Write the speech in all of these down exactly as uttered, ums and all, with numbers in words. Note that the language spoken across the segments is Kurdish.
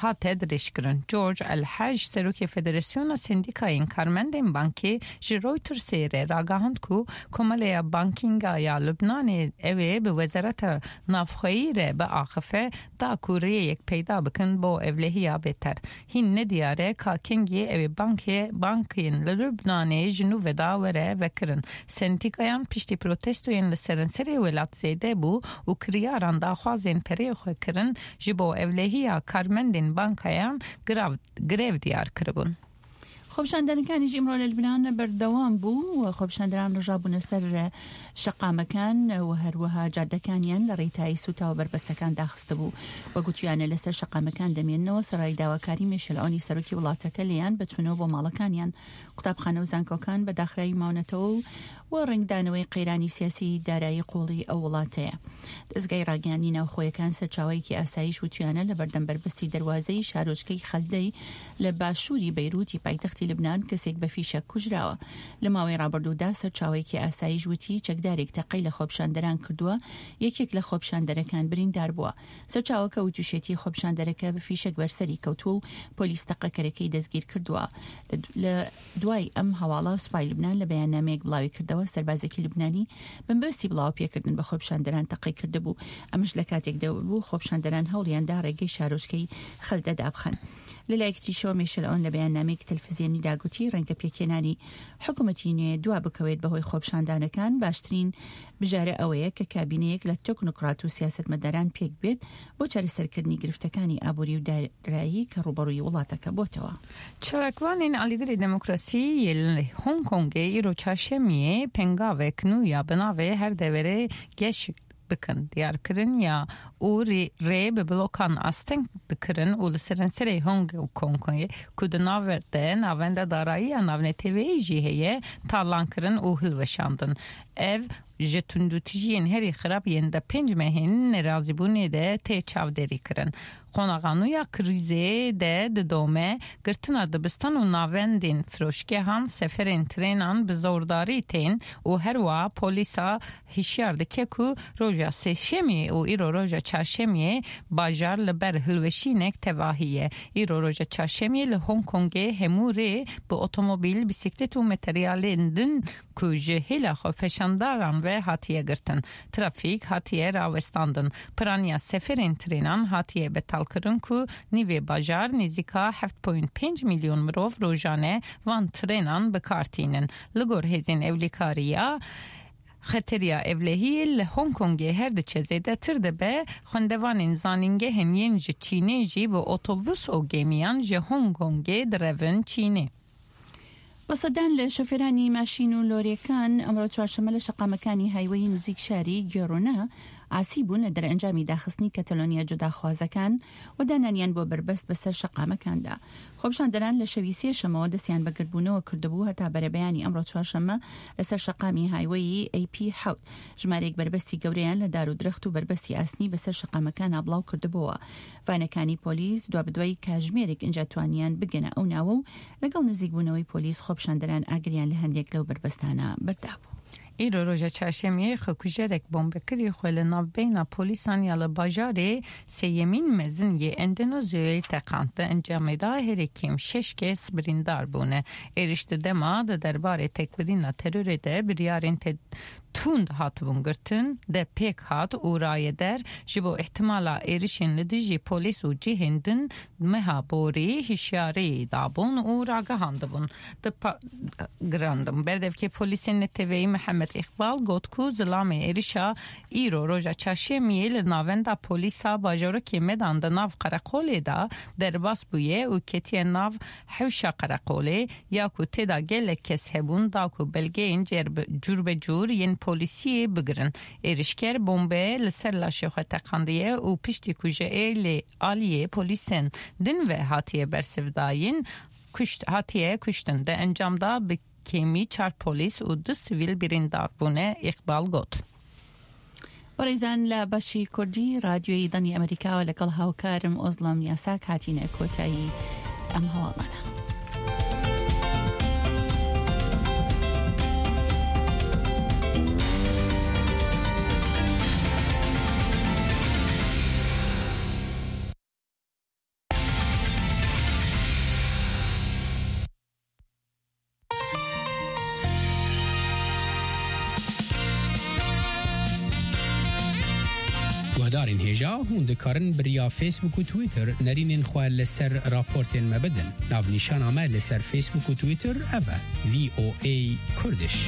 hate dirêjkirin. George El Hej, serokê Federasyona Sendîkayên Karmendên Bankê, ji Reutersê re ragihand ku Komeleya Bankînga ya Lubnanê ew ê bi Wezareta Navxweyî re biaxife, da ku rêyek peyda bikin bo ewlehiya bêter. Hîn nediyar e ka kengî ew ê bankê, bankên li Lubnanê ji nû ve da were vekirin. Sendîkayan piştî protestoyên li seranserê welat zêde bû û kiryaran daxwazên perê xwe kirin, ji bo ewlehiya karmendên bankayan grev, grev diyar kiribûn. خۆپیشاندانەکانی ئیمڕۆ لە لبنان بەردەوام بوو و خۆپیشاندەران ڕژابوونە سەر شەقامەکان و هەروەها جادەکانیان لە ڕێی تای سووتاوە بەربەستەکان داخستە بوو و گوتیانە لەسەر شەقامەکان دەمێننەوە سەرای داواکاری مێشەلعۆنی سەرۆکی وڵاتەکە لێیان بە چوونەوە بۆ ماڵەکانیان، قوتابخانە و زانکۆکان بە داخراوی ماونەتەوە و و ڕنگدانەوەی قەیرانی سیاسی دارایی قوڵی ئەو وڵاتەیە. دەستگای ڕاگەیاندنی ناوخۆیەکان سەرچاوەیەکی ئاسایش وتویانە لە بەردەم بەربەستی دەروازەی شارۆچکەی خەلدەی لە باشووری بەیروتی پایتەختی لبنان کەسێک بە فیشەک کوژراوە. لە ماوەی ڕابردوودا سەرچاوەیەکی ئاسایش وتی چەکدارێک تەقەی لە خۆپشاندەران کردووە، یەکێک لە خۆپشاندەرەکان بریندار بووە. سەرچاوەکە وتوشێتی خۆپشاندەرەکە بە فیشەک بەرسەری کەوتووە و پۆلیس تەقەکەرەکەی دەستگیر کردووە. لە، لە دوای ئەم هەواڵە سوپای لبنان لە بەیاننامەیەک بڵاوی کردەوە سەربازێکی لبنانی بە مەبەستی بڵاوپێکردن بە خۆپشاندەران تەقەی کردبوو. ئەمەش لە کاتێکدا بوو خۆپشاندەران هەوڵیان دا ڕێگەی شارۆچکەی خەلدە دابخەن. لە لایەکی تریشەوە مێشەلەوەن لە بەیاننامەیەکی تەلفزیۆنیدا گوتی ڕەنگە پێکهێنانی حکوومەتی نوێ دوا بکەوێت بەهۆی خۆپشاندانەکان، باشترین بژارە ئەوەیە کە کابینەیەک لە تەکنۆکرات و سیاسەتمەداران پێک بێت بۆ چارەسەرکردنی گرفتەکانی ئابووری و دارایی کە ڕوبەڕووی وڵاتەکە بۆتەوە. چالاکوانên Alîgirê Demokrasî yê li Hong Kongê îro çarşemiyê pengavek nû ya bi navê Her Deverê Geş Bikin diyar kirin ya û rê, rê bi blokan asteng dikirin û li seranserê Hong Kongê ku di nav de navenda darayî ya navneteweyî jî heye, talan kirin û hilweşandin. Ev ji tundûtijiyên herî xirab yên di pênc mehên nerazîbûnê de tê çavdêrî kirin. Qonaxa nû ya krîzê de didome, girtina dibistan û navendên firoşgehan, seferên trênan bi zordarî tên û herwiha polîsa hişyar dike ku roja sêşemê û îro roja çarşemiyê bajar li ber hilweşînek tevahî ye. Îro roja çarşemiyê li Hong Kongê hemû rê bi otomobîl, bîsîklet û materyalên din ku ji hêla xwepêşandaran ve hatiye girtin. Trafîk hatiye rawestandin. Piraniya seferên trênan hatiye betalkirin ku nîvê bajar nêzîka heft point pênc milyon mirov rojane van trênan bi kar tînin. Li gor hêzên ewlîkariya, xeteriya ewlehiyê li Hong Kongê her diçe zêdetir dibe, xwendevanên zanîngehên yên ji Çînê jî bi otobus û gêmiyan ji Hong Kongê direvin Çînê. بە سەدان لە شۆفێرانی ماشین و لۆرێکان ئەمڕۆ چوارشەممە لە شەقامەکانی هایوەی نزیک شاری گێڕۆنە ئاسی بوون لە دەرئەنجامی داخستنی کەتەلۆنیا جوداخوازەکان و دانانیان بۆ بەربەست بەسەر شەقامەکاندا. خۆپشاندەران لە شەوی سێشەمەوە دەستیان بە گردبوونەوە کردبوو هەتا بەرەبەیانی ئەمڕۆ چوارشەممە لەسەر شەقامی هایوەی A P حەوت. ژمارەیەک بەربەستی گەورەیان لە دار و درەخت و بەربەستی ئاسنی بەسەر شەقامەکانە بڵاو کردبووە. ڤانەکانی پۆلیس دوابدوای کاژمێرێک ئینجا توانیان بگەنە ئەو ناوە و لەگەڵ نزیکبوونەوەی پۆلیس خۆپشاندەران ئاگریان لە هەندێک لەو بەربەستانە بەردابوو. ئیرۆ ڕۆژە چارشەممەیە خەکوژەرێک بۆمبەکری خۆی لە ناوبەینا پۆلیسان یا لە باژارێ سێیەمین مەزن یە ئەندەنۆزیۆیە تەقاند. لە ئەنجامێدا هەرێ کێم شەش کەس بریندار بوونە. ئێرش دە دەما دە دەربارێ تێکبدینا تەرۆرێ دە بریارێن تێ توند هاتبوون girtin de pêk hat û raye der ji bo îhtimala êrişên li dijî polîs û cihên din meha borî hişyarî dabûn û ragihandibûn. Di pa-, girandin. Berdevkê polîsên neteweyî Mihemed Îqbal got ku zilamê êrişa îro roja çarşemiyê li navenda polîsa bajarokê Medan di nav qereqolê de derbas bûye û ketiye nav hewşa qereqolê, ya ku tê de gelek kes hebûn, da ku belgeyên cerbe-, cûrbecûr yên polîsiyê bigirin. Êrişker bombe li ser laşê xwe teqandiye û piştî ku ji êlê aliyê polîsên din ve hatiye bersivdayîn, kuşt-, hatiye kuştin. Di encam de bi kêmî çar polîs û du sivîl birîndar bûne, Îqbal got. بەڕێزان لە بەشی کوردی رادیۆی دەنگی ئەمریکاوە لەگەڵ هاوکارم ئۆزڵەم یاساک هاتینە کۆتایی ئەم هەواڵانە. Darên hêja, hûn dikarin bi riya Facebook û Twitter nerînên xwe li ser raportên me bidin. Navnîşana me li ser Facebook û Twitter ev e, V O A Kurdish.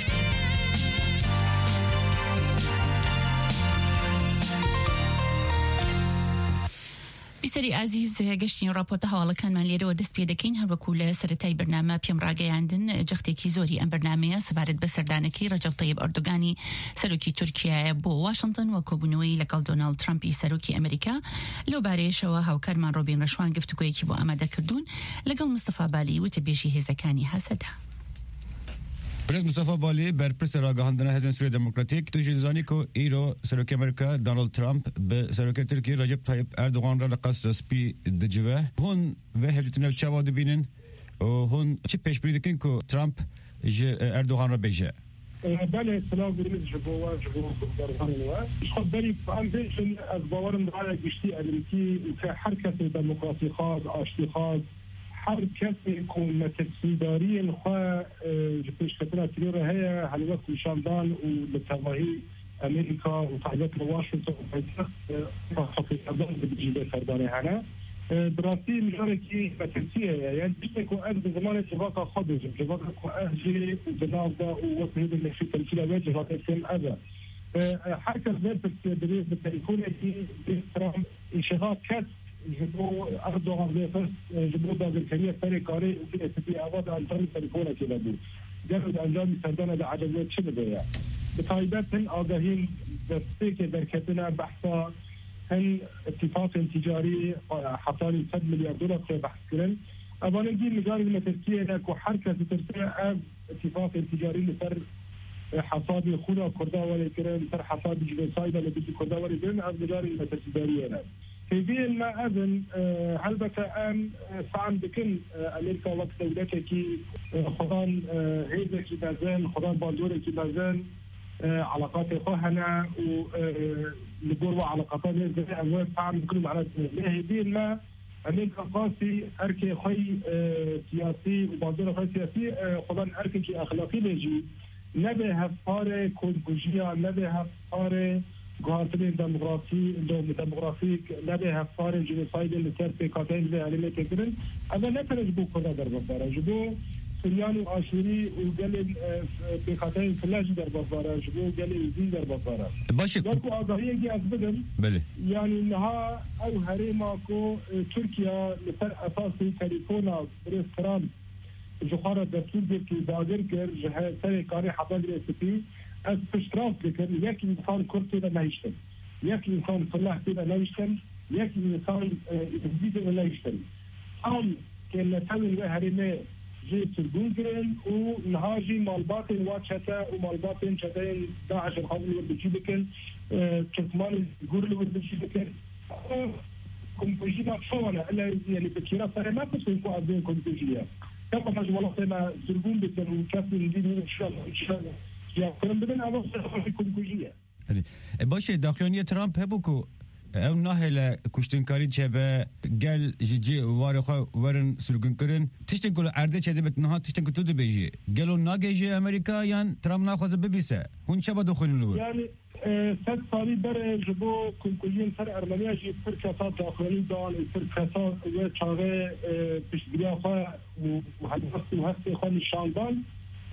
بیسەری ئازیز، گەشتین ڕاپۆرتە هەواڵەکانمان لێرەوە دەست پێ دەکەین. هەروەکو لە سەرەتای بەرنامە پێم ڕاگەیاندن، جەختێکی زۆری ئەم بەرنامەیە سەبارەت بە سەردانەکەی ڕەجەب تەیب ئەردوگانی سەرۆکی تورکیایە بۆ واشنگتن و کۆبوونەوەی لەگەڵ دۆناڵد ترامپی سەرۆکی ئەمریکا. لەو بارەیەشەوە هاوکارمان ڕۆبین ڕەشوان گفتوگویەکی بۆ ئامادە کردوون لەگەڵ مستەفا بالی، وتەبێژی هێزەکانی هەسەدە. برێز مستەفا بالی، بەرپرسە ڕاگەهاندنە هێزن سووریا دموکراتیک، تو ژین زانی کو ئیرۆ سەرۆکی ئەمریکا دۆناڵد ترامپ بە سەرۆکی تورکی ڕەجەب تایب ئەردوغان ڕە لە قەسرە سپی دجوە. هون وێ هەولتنە چاوا دبینن و هون چی پێشبری دکن کو ترامپ ji Erdogan re bêje. Belê, silav birîz ji bo we, ji bo guhdarvanên we. Ji xwe berî em bêjin, ez bawerim raya giştî elmîtî û ke her kesê demokrasîxwaz, aştîxwaz, her kesê ku metirsîdariyên xwe, e, ji pêşketina terorê heye, helwest nîşan dan û li tevahî Amerîka û taybet li Washington û paytext, e, xwepêşandan dibêjî vê serdanê hene. E, bi rastî mijarekî metirsiyê ye. Yani tiştê ku ez bi zimanê civaka xwe bêjim, civaka ku ez jê di nav de û wek hêdin neşî temsîla wê civakê kêm ev e. E, e, her kes vê pirsiyê dirêj bi telefonekî bê Trump, îşexa kes ji bo Erdogan vê xist, e, ji bo dagirkeriya serê karê û vê spî ava di encamî telefonekê de bû. Gelo di encamî serdana de eceb wê çi dibe ye? Bi taybet hin agahiyên destpêkê derketine behsa hin îtîfaqên tîcarî, e, hetanî sed milyar dolar tê behs kirin. Evanê dî mijarê li Tirkiyê ne ku her kes ditirse ev îtîfaqên tîcarî li ser, e, hesabê xûna Kurda were kirin, li ser hesabê cînosayda li dijî Kurda were kirin, ev mijarê li metirsîdariyê ne. Hêviyên me ev in, e, helbete em, e, fehm dikin, e, Amerîka wek dewletekî, e, xwedan, e, hêzekî mezin, xwedan bandorekî mezin, e, eleqatê xwe hene û, e, li gor we eleqatan hêz dike, em wê fehm bikin û mehnet bikin. Lê hêviyên me, Amerîka qasî erkê xwe yî, e, siyasî û bandora xwe siyasî, e, xwedan erkekî exlaqî bê jî, nebe hevparê komkujiya, nebe hevparê guhartinên demografî, dem-, demografîk, nebe hevparê jinosaydên li ser pêkhateyên vê herêmê tê kirin. Ev ne tenê ji bo Kurda derbasdar e, ji bo Suryan û Aşûrî û gelên, e, pêkhateyên file jî derbasdar e, ji bo gelê Êzidî derbasdar e. Baş e. Wek ku agahiyekî ez bidim, Belê. Yanî niha ew herêma ku, e, Tirkiye li ser esasî telefona birêz Trump ji xwe re destûr girtî, dagir kir, ji he-, serê karê Hesed Rêsipî, ez piştrast dikim, yek însan Kurd tê de nehiştin. Yek însan Fileh tê de nehiştin, yek însan, e, Êzidî tê de nehiştin. Tam kêmnetewên wê herêmê jê sirgûn kirin û niha jî malbatên wa çete û malbatên çeteyên DAIŞ dixwazin li wir bi cî bikin, e, Tirkmanên Gûr li wir bi cî bikin. Û komkujî da çawa ne? Ele, yani, bi kêra serê me pirsên ku ez bên komkujî ye. Dema me ji welatê me sirgûn bikin û kesên din û şiyan, şiyan, şiyan kirin bidin, ev serê komkujî ye. Erê. E, baş e, daxuyaniyê Trump hebû ku ew nahêle kuştinkarî çêbe, gel ji cî warê xwe werin sirgûnkirin. Tiştên ku li erdê çêdibit niha tiştên ku tu dibêjî. Gelo nagihêje Amerîka yan Trump naxwaze bibîse? Hûn çawa dixwînin li wir? Yani, e, sed salî berê ji bo komkujiyên ser Ermeniya jî pir kesa daxuyanî dan û pir kesa wê çaxê, e, piştgiriya xwe û helwest û hestê xwe nîşan dan.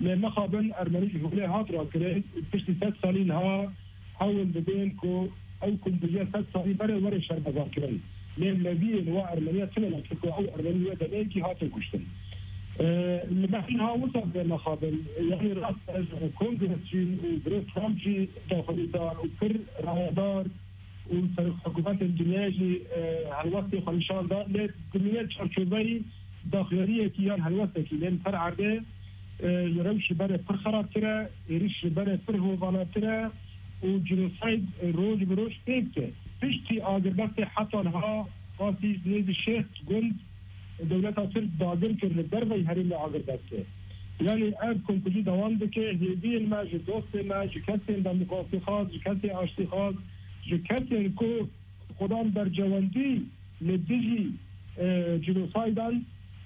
Lê mixabin Ermenî ji holê hat rakirin û piştî sed salî niha hewl didin ku ew komkujiya sed salî berê were şermezarkirin. Lê neviyên wa Ermeniya tune ne, çunku ew Ermenî wê demeyekî hatin kuştin. E, li me niha wisa bide mixabin, yanî rast e, ji kongres jî û birêz Trump jî daxuyanî dan û pir rayedar û serokhikumêtên dinyayê jî, e, helwestê xwe nîşan da, lê dimîne çarçoveyî daxuyaniyekî yan helwestekî, lê li ser erdê, e, rewş ji berê pir xerabtir e, êrîş ji berê pir hovantir e û cînosayd, e, roj bi roj tê dike. Piştî agirbestê heta niha qasî nêzî şêst gund dewleta Tirk dagir kir li derveyî herêmê agirbestê. Yanî ev komkujî dewam dike, hêviyên me ji dostê me, ji kesên demokrasîxwaz, ji kesê aştîxwaz, ji kesên ku xwedan bercewendî li dijî, e, cînosaydan,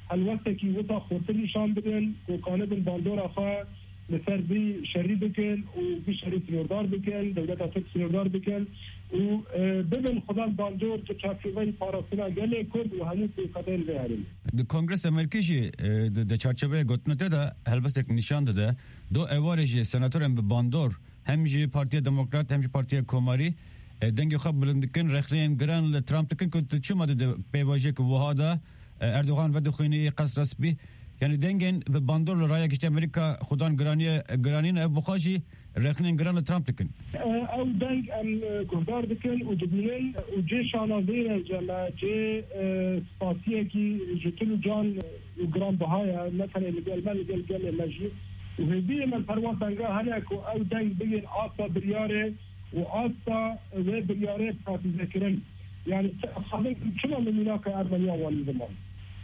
helwestekî wisa xurtir nîşan bidin, ku kanibin bandora xwe Li ser vî şerî bikin û vî şerî sînordar bikin, dewleta Tirk sînordar bikin û, e, bibin xwedan bandor di çarçoveyê parastina gelê Kurd û hemû pêxedên vê herêmê. Di Kongresa Amerîkî jî, e, di, di çarçoveyê gotinê te de helbestek nîşan dide. Do êvarê jî senatorên bi bandor hem ji Partiya Demokrat hem ji Partiya Komarî, e, dengê xwe bilind dikin, rexneyên giran li Trump dikin ku tu çima dide pêvajoyek wiha de, e, Erdogan vedixwînî Qesra Spî. Yanî dengên bi bandor li raya giştî Amerîka xudan giraniye, giranî ne, ev bi xwe jî rexnên giran li Trump dikin. Ew deng em, e, guhdar dikin û dibînin û cê şanaziyê ne, cem e, cê, e, spasiyekî ji til û can û giranbiha ye, ne tenê li gel me, li gel gelê me jî. Û hêviyê me li ser wan denga hene ku ew deng bigihên asta biryarê û asta wê biryarê pratîzekirin. Yanî, çima min mînaka Ermeniya wanî ziman?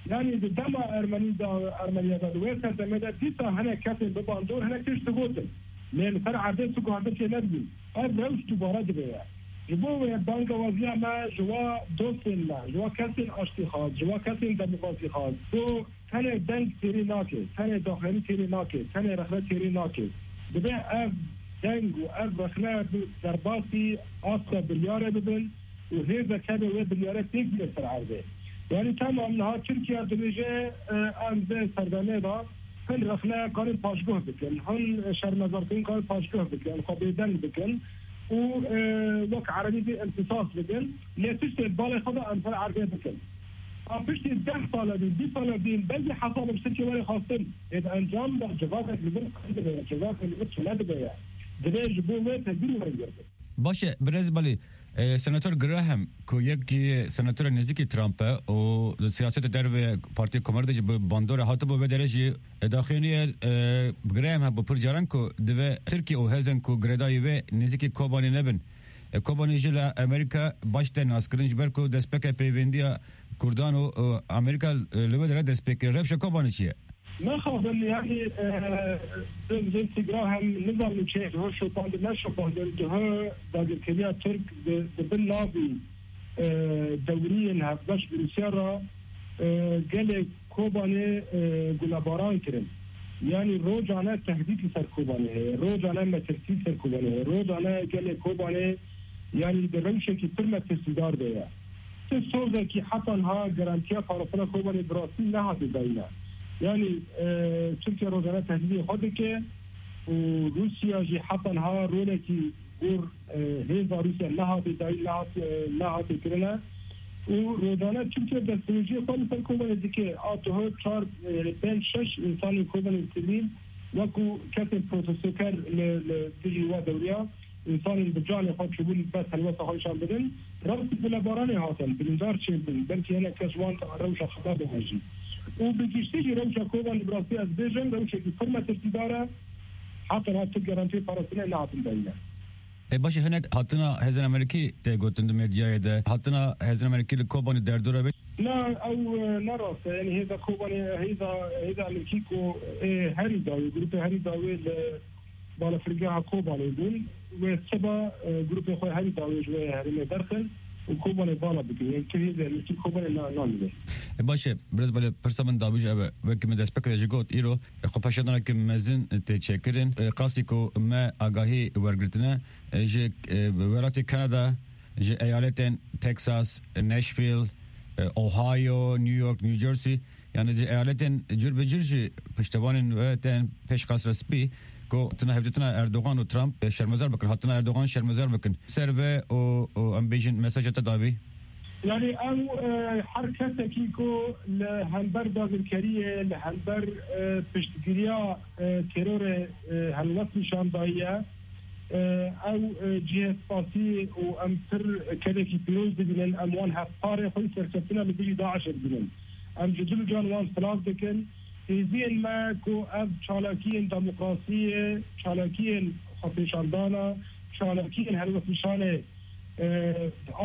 Yanî, di dema Ermenî de, Ermeniya de, di wê serdemê de dîsa hinek kesên bi bandor hinek tişt digotin. Lê li ser erdê tu guhertin çê nedibîn. Ev rewş dubare dibe ye. Ji bo wê bangewaziya me ji wa dostên me, ji wa kesên aştîxwaz, ji wa kesên demokrasîxwaz, ku tenê deng têrê nake, tenê daxuyanî têrê nake, tenê rexne têrê nake. Dibe ev deng û ev rexne bi derbasî asta biryarê bibin û hêzek hebe wê biryarê têk bîne ser erdê. Yanî tamam niha Tirkiye dibêje, e, em vê serdemê de hin rexne karin paşguh bikin, hin şermezarkirin karin paşguh bikin, xwe bêdeng bikin û, e, wek erebî bê imtisas bikin, lê tiştê balê xwe de em ser erdê bikin. A piştî deh sala dîn, bîst sala dîn, belkî hesabek ji Tirkiye were xwestin. Ê di encam de civakek li vir qey dibe ye, civakek li vir çile dibe ye. Divê ji bo wê tedbîr were girtin. Baş e, birêz Balî, e, Senator Graham, ku yek ji senatorên nêzîkî Trump e û di siyaseta derve Partiya Komarî de jî bi bandorê hatibû, vê derê jî, e, daxuyaniye, e, Graham hebû pir caran ku divê Tirkiye û hêzên ku girêdayî wê nêzîkî Kobanê nebin. E, Kobanê jî li Amerîka baş tê naskirin, ji ber ku destpêkê peyvendiya Kurdan û, û Amerîka, e, li wê derê dest pê kir. Rewşa Kobanê çi ye? Naxwazim, yanî, e, Lindsey Graham, nizanim çi, diho şopandin, neşopandin, diho dagirkeriya Tirk di, di bin navî, e, dewriyên hevbeş bi Rûsya re, e, gelê Kobanê, e, gulebaran kirin. Yanî rojane tehdît li ser Kobanê heye, rojane metirsî li ser Kobanê heye, rojane gelê Kobanê, yanî di rewşekî pir metirsîdar de ye. Ti sozekî heta niha garantiya parastina Kobanê bi rastî nehate dayîne. Yanî, e, Tirkiye rojane tehdîdê xwe dike û Rûsya jî heta niha rolekî gor, e, hêza Rûsya nehate dayîn, nehat-, e, nehate kirine. Û rojane Tirkiye destdirêjiyê xwe li ser Kobanê dike. A diho çar, e, pênc, şeş însanên Kobanê sivîl wekû kesên protestoker li, li dijî we dewriya însanên bi canê xwe çûbûn bes helwesta xwe nîşan bidin. Rewşî gulebaranê hatin, birîndar çêbûn. Belkî hinek kes wan rewşa xebata hejî. Û bi giştî jî rewşa Kobanê bi rastî ez bêjim, rewşekî pir metirsîdar e. Heta niha tu garantiyê parastinê nehatin dayîne. E, baş e, hinek hatina hêzên Amerîkî tê gotin di medyayê de. Hatina hêzên Amerîkî li Kobanê derdora bê. Na, ew, e, ne rast e. Yanî hêza Kobanê, hêza, hêza Amerîkî ku, e, herî dawî, grûpê herî dawî li balafirgeha Kobanê bûn. Wê siba, e, grûpê xwe herî dawî ji wê herêmê derxin û Kobanê vala bikin. Yanî tu hêzê Amerîkî Kobanê na-, namîne. E, baş e, birêz Balî, pirsa min dabû jî ev e. Wekî min destpêkê de jî got, îro, e, xwepêşandaneke mezin tê çêkirin. E, qasî ku me agahî wergirtine, e, ji, e, welatê Kanada, ji eyaletên Texas, Nashville, e, Ohio, New York, New Jersey, yanî ji eyaletên cur bi cur jî piştevanên we tên pêş Qesra Spî ku hatina hevdîtina Erdogan û Trump, e, şermezar bikin, hatina Erdogan şermezar bikin. Ser ve û, û em bêjin mesaja te dabî? Yanî ew, e, her kesekî ku li hember dagirkeriyê, li hember, e, piştgiriya, e, terorê, e, helwest nîşan dayiye, e, ew, e, cihê spasî û em pir kedekî pîroz dibînin, em wan hevkarê xwe û serkeftina li dijî DAIŞê dibînin. Em ji dil û can wan silav dikin. Hêziyên me ku ev çalakiyên demokrasiyê, çalakiyên xwepêşandana, çalakiyên helwestnîşanê, e,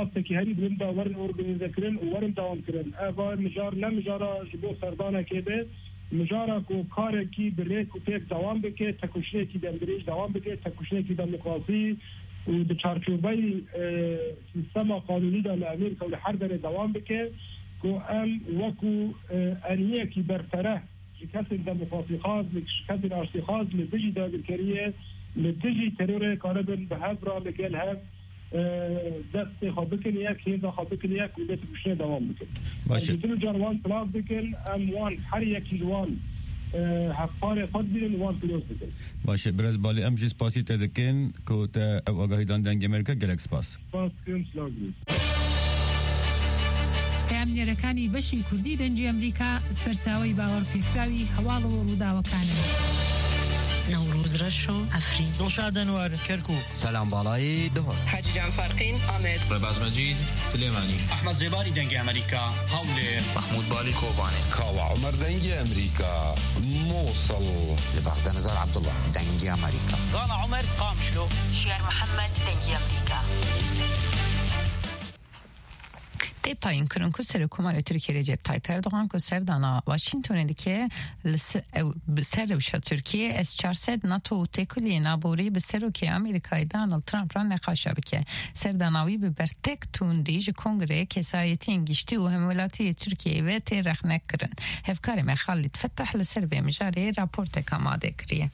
astekî herî bilind de werin organîzekirin û werin dewamkirin. Eva mijar ne mijara ji bo serdanekê be, mijara ku karekî bi rêk û pêk dewam bike, tekoşînekî demdirêj dewam bike, tekoşînekî demokrasî û di çarçoveyî, e, sîstema qanûnî de li Amerîka û li her derê dewam bike, ku em wekû, e, eniyekî berfereh Kesên demokrasîxwaz, kesên aştîxwaz li dijî dagirkeriyê, li dijî terorê karibin bi hev re li gel hev, e, destê xwe bikin yek, hêza xwe bikin yek û dê tepiştê dewam bikin. Baş e. Em ji din û car wan silav dikin, em wan her yekî ji wan, e, hevkarê xwe dibînin, wan pîroz dikin. Baş e, Birêz Balî, em jî spasî te dikin ku te ew agahî dan Dengê Amerîka, gelek spas. Spas dikim, silav dikim. پەیامنێرەکانی بەشی کوردی دەنگی ئەمریکا سەرچاوەی باوەڕپێکراوی هەواڵ و ڕووداوەکانن. نەورۆز ڕەشۆ، ئەفرین. دڵشاد ئەنوەر، کەرکووک. سەلام باڵایی، دهۆک. حاجی جان فەرقین، ئامێد. ڕێباز مەجید، سلێمانی. ئەحمەد زێباری، دەنگی ئەمریکا، هەولێر. مەحموود بالی، کۆبانێ. کاوە عومەر، دەنگی ئەمریکا، موسڵ. لە بەغدا، نزار عەبدوڵڵا، دەنگی ئەمریکا. زانا عومەر، قامشلۆ. ژیار محەممەد، دەنگی ئەمریکا. Tê tayin kirin ku Serokkomarê Tirkiyê Recep Tayyip Erdogan ku serdana Washingtonê dike, li se-, ew bi ser rewşa Tirkiyê S çar sed, NATO û têkiliyên aborî bi Serokê Amerîkayê Donald Trump re neqaşa bike. Serdana wî bi bertek tundî ji Kongreyê Kesayetiyên Giştî û Hemwelatiyê Tirkiyeyê ve tê rexnekirin. Hevkarê me Xalid Fetah li ser vê mijarê raportek amade kiriye.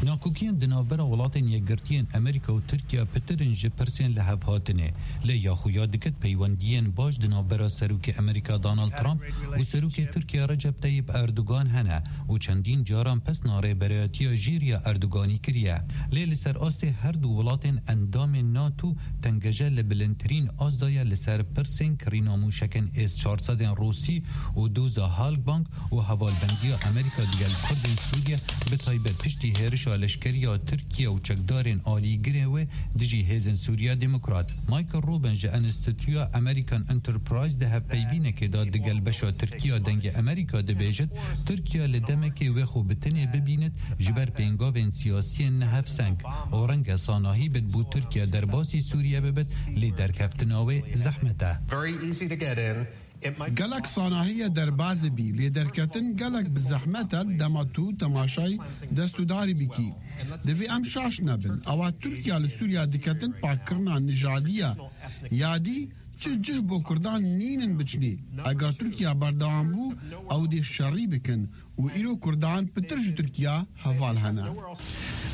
Nakokiyên di navbera Welatên Yekgirtiyên Amerîka û Tirkiye pitir in ji pirsên li hev hatinê. Lê ya xuya diket peywendiyên baş di navbera Serokê Amerîka Donald Trump û Serokê Tirkiye Recep Tayyip Erdogan hene û çendîn caran pesna rêberayetiya jêr ya Erdoganî kiriye. Lê li ser astê her du welatên endamên NATO tengeje li bilindtirîn ast de ye li ser pirsên kirîna mûşekên S çar sed ên Rûsî û doza Halkbank û hevalbendiya Amerîka digel Kurdên Sûriye, bi taybet piştî hêrişa leşkerî ya Tirkiye û çekdarên alîgirê wê dijî Hêzên Sûriya Demokrat. Michael Rubin ji Enstitûya American Enterprise di hevpeyvînekê de digel beşa Tirkiya Dengê Amerîka dibêjit, Tirkiye li demekê wê xwe bi tenê bibînit ji ber pêngavên siyasiyên nehevseng û renge sanahî bit bo Tirkiye derbasî Sûriye bibit, lê derkeftina wê zehmet e. Very easy to get in. Gelek sanahî ye derbazê bî, lê derketin gelek bi zehmet e, dema tu temaşayî destûdarî bikî. Divê em şaş nebin. Ewa Tirkiye li Sûriye diketin pakkirina nijadî ye. Yadî çi cih bo Kurdan nînin biçinê. Eger Tirkiye berdewam bû, ew dê şerî bikin û îro Kurdan pitir ji Tirkiye heval hene.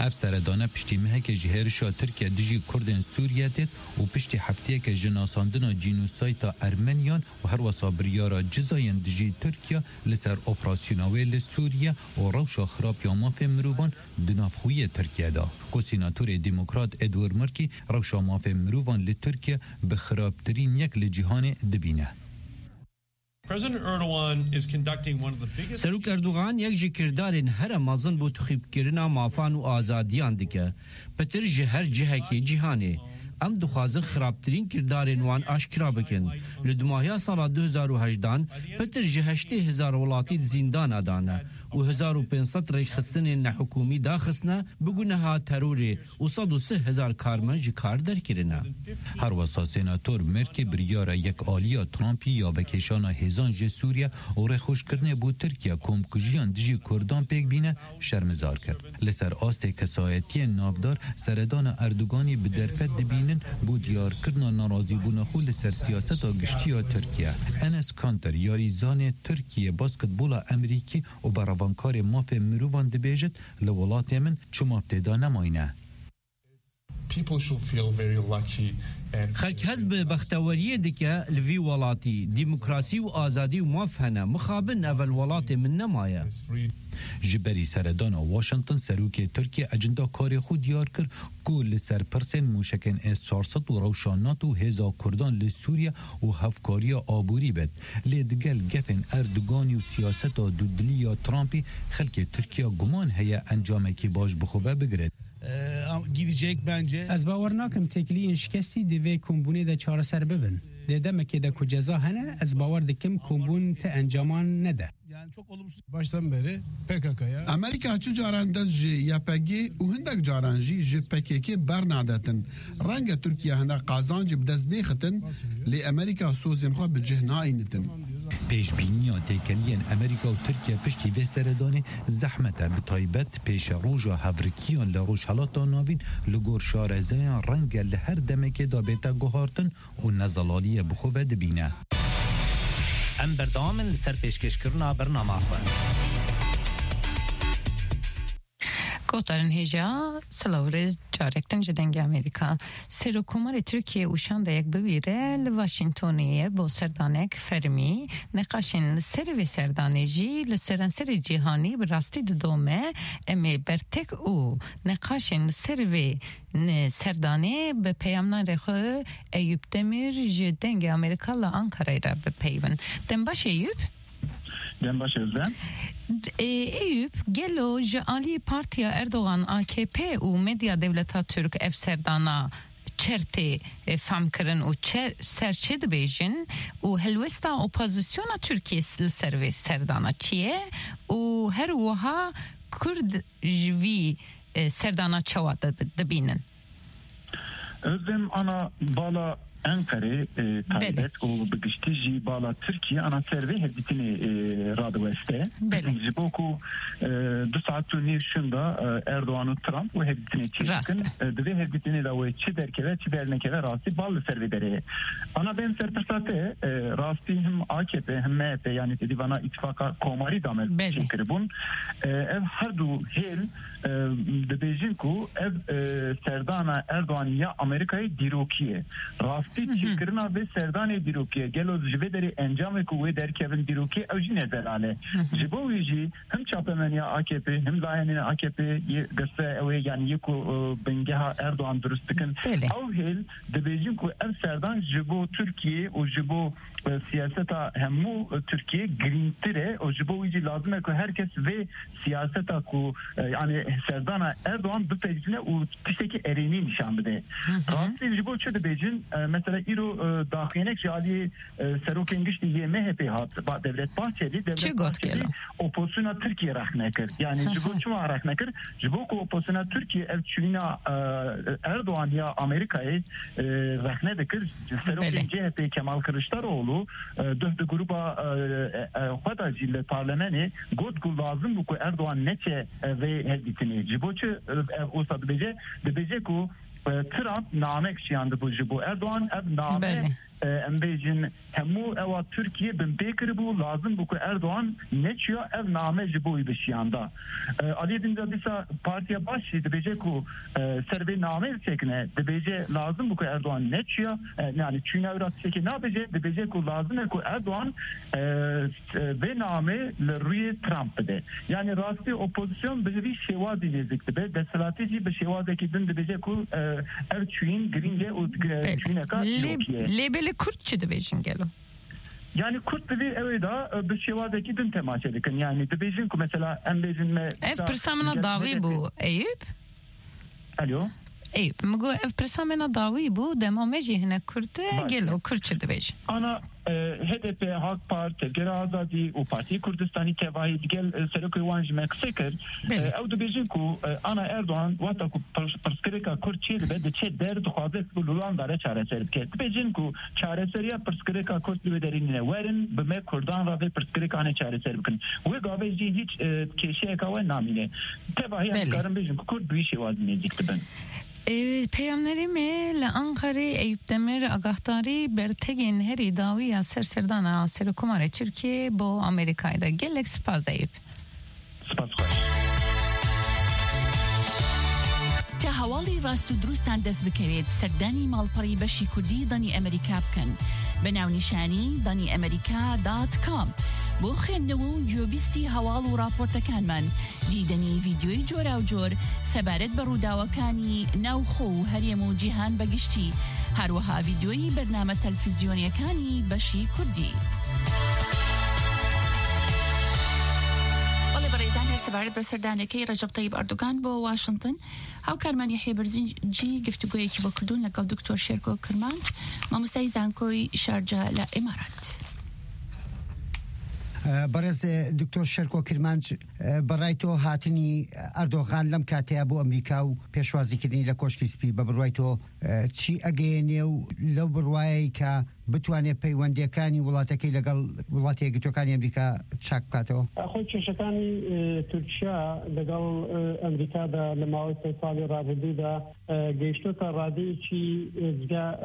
Ev seredane piştî mehekê ji hêrişa Tirkiye dijî Kurdên Sûriye têt û piştî hefteyeke ji nasandina cînosayta Ermeniyan û herwesa biryara cizayên dijî Tirkiye li ser operasyona wê li Sûriye û rewşa xirab ya mafê mirovan di nav xwiyê Tirkiye de, ku sînatorê demokrat Edward Murkî rewşa mafê mirovan li Tirkiye bi xirabtirîn yek li cîhanê dibîne. President Erdogan is conducting one of the biggest Serok Erdogan yek ji kirdarên here mezin bo tixîbkirina mafan û azadiyan dike. Pitir ji her cihekê cîhanê. Em dixwazin xirabtirîn kirdarên wan aşkira bikin. Li dimahiya sala du hezar û hejdehan pitir ji heştê hezar welatî di zîndana de ne û hezar û pênc sed rêkxistinên nehikûmî daxistine bi guneha terorê û sed û sî hezar karmend ji kar derkirine. Herwesa Senator Merkê biryara yek aliya Trumpî ya vekêşana hêzan ji Sûriye û rêxweşkirinê bo Tirkiye komkujiyan dijî Kurdan pêk bîne şermizar kir. Li ser astê kesayetiyên navdar seredana Erdoganî bi derfet dibînin bo diyarkirina nerazîbûna xwe li ser siyaseta giştî ya Tirkiye. Enes Kanter, yarîzanê Tirkiye basketbola Emerîkî û berevankarê mafê mirovan dibêjit, li welatê min çi maf tê de nemayne. People should feel very lucky and Xelk hez bi bexteweriyê dike li vî welatî. Demokrasî û azadî û maf hene. Mixabin ev li welatê min nemaye. Ji berî seredana Washington, serokê Tirkiye ecinda karê xwe diyar kir ku li ser pirsên mûşekên S çar sed û rewşa NATO û hêza Kurdan li Sûriye û hevkariya aborî bit. Lê digel gefên Erdoganî û siyaseta dudilî ya Trumpî, xelkê Tirkiye guman heye encamekî baş bi xwe ve bigirin. Ee, gidecek bence. Ez bawer nakim têkiliyên şikestî di vê kombûnê de çareser bibin. Di demekê de ku ceza hene, ez bawer dikim kombûn ti encaman nede. Yani çok olumsuz baştan beri P K K'ya. Amerîka çi caran dest ji Y P G û hindek caran jî ji P K K bernadetin. Renge Tirkiye hindek qazancî bi dest bêxitin, lê Amerîka sozên xwe bi cih nayînitin. Pêşbîniya têkeliyên Amerîka û Tirkiye piştî vê seredanê zehmet e, bi taybet pêşeroja hevrikiyan li Rojhelata Navîn li gor şarezeyan renge li her demekê de bête guhartin û nezelaliyê bi xwe ve dibîne. Em berdewam in li ser pêşkêşkirina bernama xwe. Guhdarên hêja, silav rêz carek din ji Dengê Amerîka. Serokkomarê Tirkiyê û şandeyek bi wî re li Washingtonê ye bo serdanek fermî. Neqaşên li ser vê serdanê jî li seranserê cîhanî bi rastî didome. Em ê bertek û neqaşên li ser vê ne serdanê bi peyamnarê xwe Eyüp Demir ji Dengê Amerîka li Ankarayê re bipeyivin. Dem baş Eyüp. Dem baş Özlem. Ê, Eyüp, gelo ji alî Partiya Erdogan A K P û medya dewleta Tirk ev serdana çer tê, e, fam kirin û çer, ser çi dibêjin û helwesta opozisyona Tirkiyê li ser vê serdana çi ye û her wiha Kurd ji vî, e, serdana çawa di-, dibînin? Özlem, ana bala Enqerê, e, Belê. taybet û bi giştî jî bala Tirkiye ana ser vê hevdîtinê, e, radiweste. Belê. Ji bo ku, e, du saet û nîv şûnda, e, Erdogan û Trump wê hevdîtinê çêdikin. Rast e. E, di vê hevdîtinê de wê çi derkeve, çi dernekeve rastî bal li ser vê derê ye. Ana bên ser pirsa te, e, rastî him A K P, him M H P, yanî te dî vana îtifaqa komarî de me Belê. çêkiribûn. E, ev her du hêl e, dibêjin ku ev, e, serdana Erdogan ya Amerîkayê dîrokî ye. Rastî Hı hı. çêkirina vê serdanê dîrokî ye. Gelo ji vê derê encamê ku wê derkevin dîrokî ye, ew jî ne zelal e. Hı hı. Ji bo wî jî him çapemeniya A K P, him layenên A K P yê girse ew ê, yanî yê ku, e, bingeha Erdogan dirust dikin. Belê. Ew hêl dibêjin ku ev serdan ji bo Tirkiye û ji bo e, siyaseta hemû, e, Tirkiye girîngtir e û ji bo wî jî lazim e ku her kes vê siyaseta ku, e, yani serdana Erdogan bipejine û tiştekî erênî nîşan bide. Hı hı. Rastî ji bo çi dibêjin? E, mesela îro, e, daxuyanek ji aliyê, e, serokên giştî yê M H P hat, ba Devlet Bahçeli, Devlet Çi got Bahçeli gelo? Opozisyona Tirkiye rexne kir. Yani ji bo Hı hı. çima rexne kir? Ji bo ku opozisyona Tirkiye ev çûyîna, e, Erdogan ya Amerîkayê, e, rexne dikir. Serokên Belê. C H P Kemal Kılıçdaroğlu, e, duh di gruba, e, e, e, xwe de jî li parlemenê got ku lazim bû ku Erdogan neçe, e, vê hevdîtinê. Ji bo çi, e, ev wisa dibêje? Dibêje ku, e, Trump namek şiyandibû ji bo Erdogan. Ev name, Belê. e, em bêjin, hemû ewa Tirkiye binpê kiribû, lazim bû ku Erdogan neçiya ev name ji bo wî bişiyanda. E, aliyê din de dîsa Partiya Baş jî dibêje ku, e, ser vê nameyê disekine, dibêje lazim bû ku Erdogan neçiya, e, yani çûyîna wî ra tiştekê nabêje, dibêje ku lazim e ku Erdogan, e, vê namê li rûyê Trump bide. Yani rastî opozisyon bi vî şêwazî nêzik dibe, desthilatî jî bi şêwazekî din dibêje ku, e, ev çûyîn girîng e û, e, Belê. çûyîneka Lê, dîrokî ye. Lê belê Kurd çi dibêjin gelo? Yani Kurd di vê ewê de, e, bi şêwazekî din temaşe dikin. Yani dibêjin ku mesela em bêjin me Ev da pirsa min a gel dawî H D P. bû, Eyüp. Alo. Eyüp, min got ev pirsa min a dawî bû, dema me jî hinek Kurd e, Baş. gelo Kurd çi dibêjin? Ana, e, H D P, Halk Parti, Tevgera Azadî û Partî Kurdistanî tevahî digel, e, serokê wan ji me qise kir. Belê. E, ew dibêjin ku, e, ana Erdogan wexta ku pirs-, pirsgirêka Kurd çêdibe, diçe der, dixwaze ku li Holanda re çareser bike. Dibêjin ku çareseriya pirsgirêka Kurd li wê derê nîne. Werin bi me Kurdan re vê pirsgirêka hane çareser bikin. Wê gavê jî hîç, e, kêşeyeka we namîne. Tevahiya Belê. dikarin bêjin ku Kurd bi wî şêwazî nêzîk dibin. E, peyamnerê me li Ankarê Eyüp Demir agahdarî bertegên herî dawî ya ser serdana Serokkomarê Tirkiyê bo Amerîkayê de. Gelek spas Eyüp. Spas xweş. تا هەواڵی ڕاست و دروستان دەست بکەوێت، سەردانی ماڵپەڕی بەشی کوردی دەنی ئەمریکا بکەن بە ناونیشانی دەنی ئەمریکا دات کام. بۆ خوێندنەوە و گوێبیستی هەواڵ و راپۆرتەکانمان، دیدەنی ڤیدیۆی جۆراوجۆر سەبارەت بە ڕووداوەکانی ناوخۆ و هەرێم و جیهان بەگشتی، هەروەها ڤیدیۆی بەرنامە تەلفزیۆنیەکانی بەشی کوردی. بەڵێ بەڕێزان، هەر سەبارەت بە سەردانەکەی ڕەجەب تەیب ئەردوگان بۆ واشنگتن، هاوکارمان یەحیە بەرزنجی گفتوگۆیەکی بۆ کردوون لەگەڵ دکتۆر شێرکۆ کرمانج، مامۆستای زانکۆی شارجە لە ئیمارات. بەڕێز دکتۆر شێرکۆ کرمانج، بەڕای تۆ هاتنی ئەردۆغان لەم کاتەیە بۆ ئەمریکا و پێشوازیکردنی لە کۆشکی سپی، بە بڕوای تۆ چی ئەگەیەنێ و لەو بڕوایەی کە بتوانێت پەیوەندیەکانی وڵاتەکەی لەگەڵ وڵاتە یەکگرتوەکانی ئەمریکا چاک بکاتەوە؟ خۆی کێشەکانی، ئێ، تورکیا لەگەڵ، ئێ، ئەمریکادا لە ماوەی سێ ساڵی ڕابردوودا، ئێ، گەیشتۆتە ڕادەیەکی، ئێ، جیا-،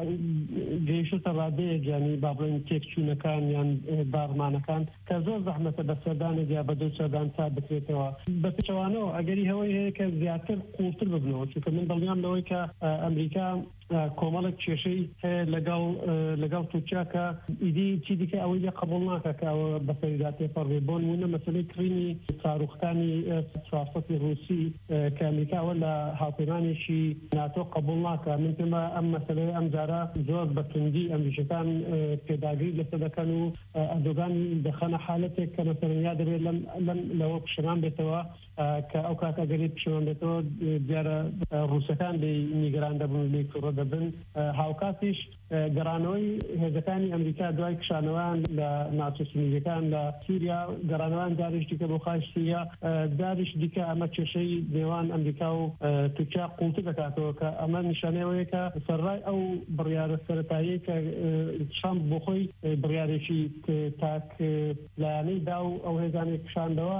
گەیشتۆتە ڕادەیەک، یعنی، با بڵێن، تێکچوونەکان یان، ئێ، بارمانەکان کە زۆر زەحمەتە بە سەردانێک یا بە دوو سەردان چاک بکرێتەوە. بە پێچەوانەوە ئەگەری هەوەی هەیە کە زیاتر قوڵتر ببنەوە، چونکە من دڵنیام لەوەی کە، ئە، ئەمریکا، ئە، کۆمەڵێک کێشەی هەیە لەگەڵ، ئە، لەگەڵ تورکیا کە ئیدی چی دیکە ئەوەی لێ قبوڵ ناکە کە ئەوە بەسەریدا تێپەڕ بێ. بۆ نمونە مەسەلەی کڕینی ساروخەکانی، ئێ، چوار سەد ی ڕووسی، ئێ، کە ئەمریکا ئەوە لە هاوپەیمانێکی ناتۆ قبوڵ ناکە. من پێم وایە ئەم مەسەلەیە ئەم جارە زۆر بە توندی ئەمریکیەکان، ئێ، پێداگری لەسەر دەکەن و، ئێ، ئەردۆگان دەخەنە حالەتێک کە مەسەلەن یا دەبێت لەم، لەم، لەوە پشەمان بێتەوە، ئێ، کە ئەو کات ئەگەری پشەمان بێتەوە، ئێ، دیارە، ئێ، ڕووسەکان لێی نیگەران دەبن و لێی تووڕە دەبن. ئێ، هاوکاتیش، ئێ، گەڕانەوەی هێزەکانی ئەمریکا دوای کشانەوەیان لە ناوچە سونیەکان لە سووریا، گەڕانەوەیان جارێکی دیکە بۆ خاکی سووریا، ئێ، جارێکی دیکە ئەمە کێشەی نێوان ئەمریکا و، ئێ، تورکیا قوڵتر دەکاتەوە، کە ئەمە نیشانەی ئەوەیە کە سەرڕای ئەو بڕیارە سەرەتاییە کە، ئێ، ترامپ بۆ خۆی، ئێ، بڕیارێکی ت-، تاک، ئێ، لایەنەی دا و ئەو هێزانەی کشاندەوە،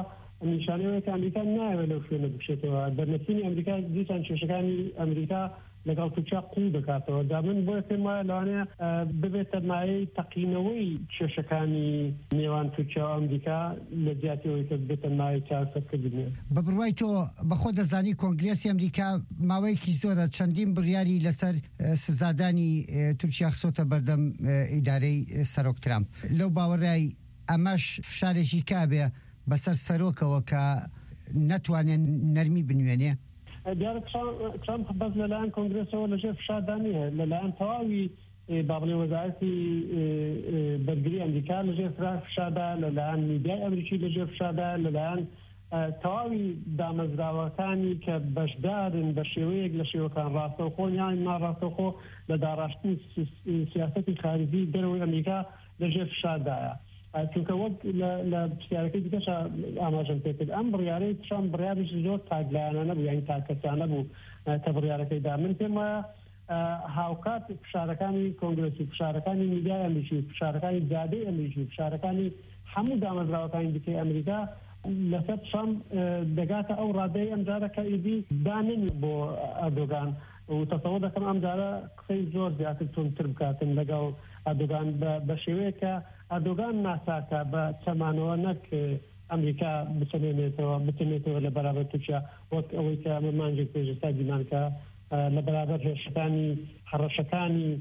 نیشانەی ئەوەیە کە ئەمریکا نایەوێت لەو شوێنە بکشێتەوە. دەرنەچوونی ئەمریکا دیسان کێشەکانی ئەمریکا لەگەڵ تورکیا قوڵ دەکاتەوە. دا من بۆیە پێم وایە لەوانەیە، ئە، ببێتە مایەی تەقینەوەی کێشەکانی نێوان تورکیا و ئەمریکا لە جیاتی ئەوەی کە ببێتە مایەی چارەسەرکردنێ. بە بڕوای تۆ، بەخۆ دەزانی کۆنگرێسی ئەمریکا ماوەیەکی زۆرە چەندین بڕیاری لەسەر، ئە، سزادانی، ئە، تورکیا خسۆتە بەردەم، ئە، ئیدارەی، ئە، سەرۆک ترامپ. لەو باوەڕای ئەمەش فشارێکی کابێ بەسەر سەرۆکەوە کە نەتوانێت نەرمی بنوێنێ؟ دیارە ترامپ، ترامپ بەس لەلایەن کۆنگرێسەوە لەژێر فشاردا نییە، لەلایەن تەواوی، ئێ، با بڵێ وەزارەتی، ئێ، ئێ، بەرگری ئەمریکا لەژێر فرا-، فشاردا، لەلایەن میدیای ئەمریکی لەژێر فشاردا، لەلایەن، ئە، تەواوی دامەزراوەکانی کە بەشدارن بە شێوەیەک لە شێوەکان ڕاستەوخۆ یان ناڕاستەوخۆ لە داڕاشتنی سی-، سیاسەتی خارجی دەرەوەی ئەمریکا لەژێر فشاردایە. ئە، چونکە وەک لە، لە پرسیارەکەی دیکەشا ئاماژەم پێ کرد، ئەم بڕیارەی ترامپ بڕیارێکی زۆر تاکلایەنانە بوو، یعنی تاککەسانە بوو، ئە، کە بڕیارەکەی دا. من پێم وایە، ئە، هاوکات فشارەکانی کۆنگرێس و فشارەکانی میدیای ئەمریکی و فشارەکانی جادەی ئەمریکی و فشارەکانی هەموو دامەزراوەکانی دیکەی ئەمریکا لەسەر ترامپ، ئە، دەگاتە ئەو ڕادەی ئەم جارە کە ئیدی داننی بۆ ئەردۆگان و تەسەوە دەکەم ئەم جارە قسەی زۆر زیاتر توندتر بکاتن لەگەڵ ئەردۆگان بە، بە شێوەیە کە ئەردۆگان ناساکە بە چەمانەوە نەک ئەمریکا بچەمێنێتەوە، بچەمێتەوە لە بەرابەر تورکیا، وەک ئەوەی کە ئەمە مانگێک پێش ئێستا دیمان کە، ئە، لە بەرابەر هێرشەکانی، هەڕەشەکانی،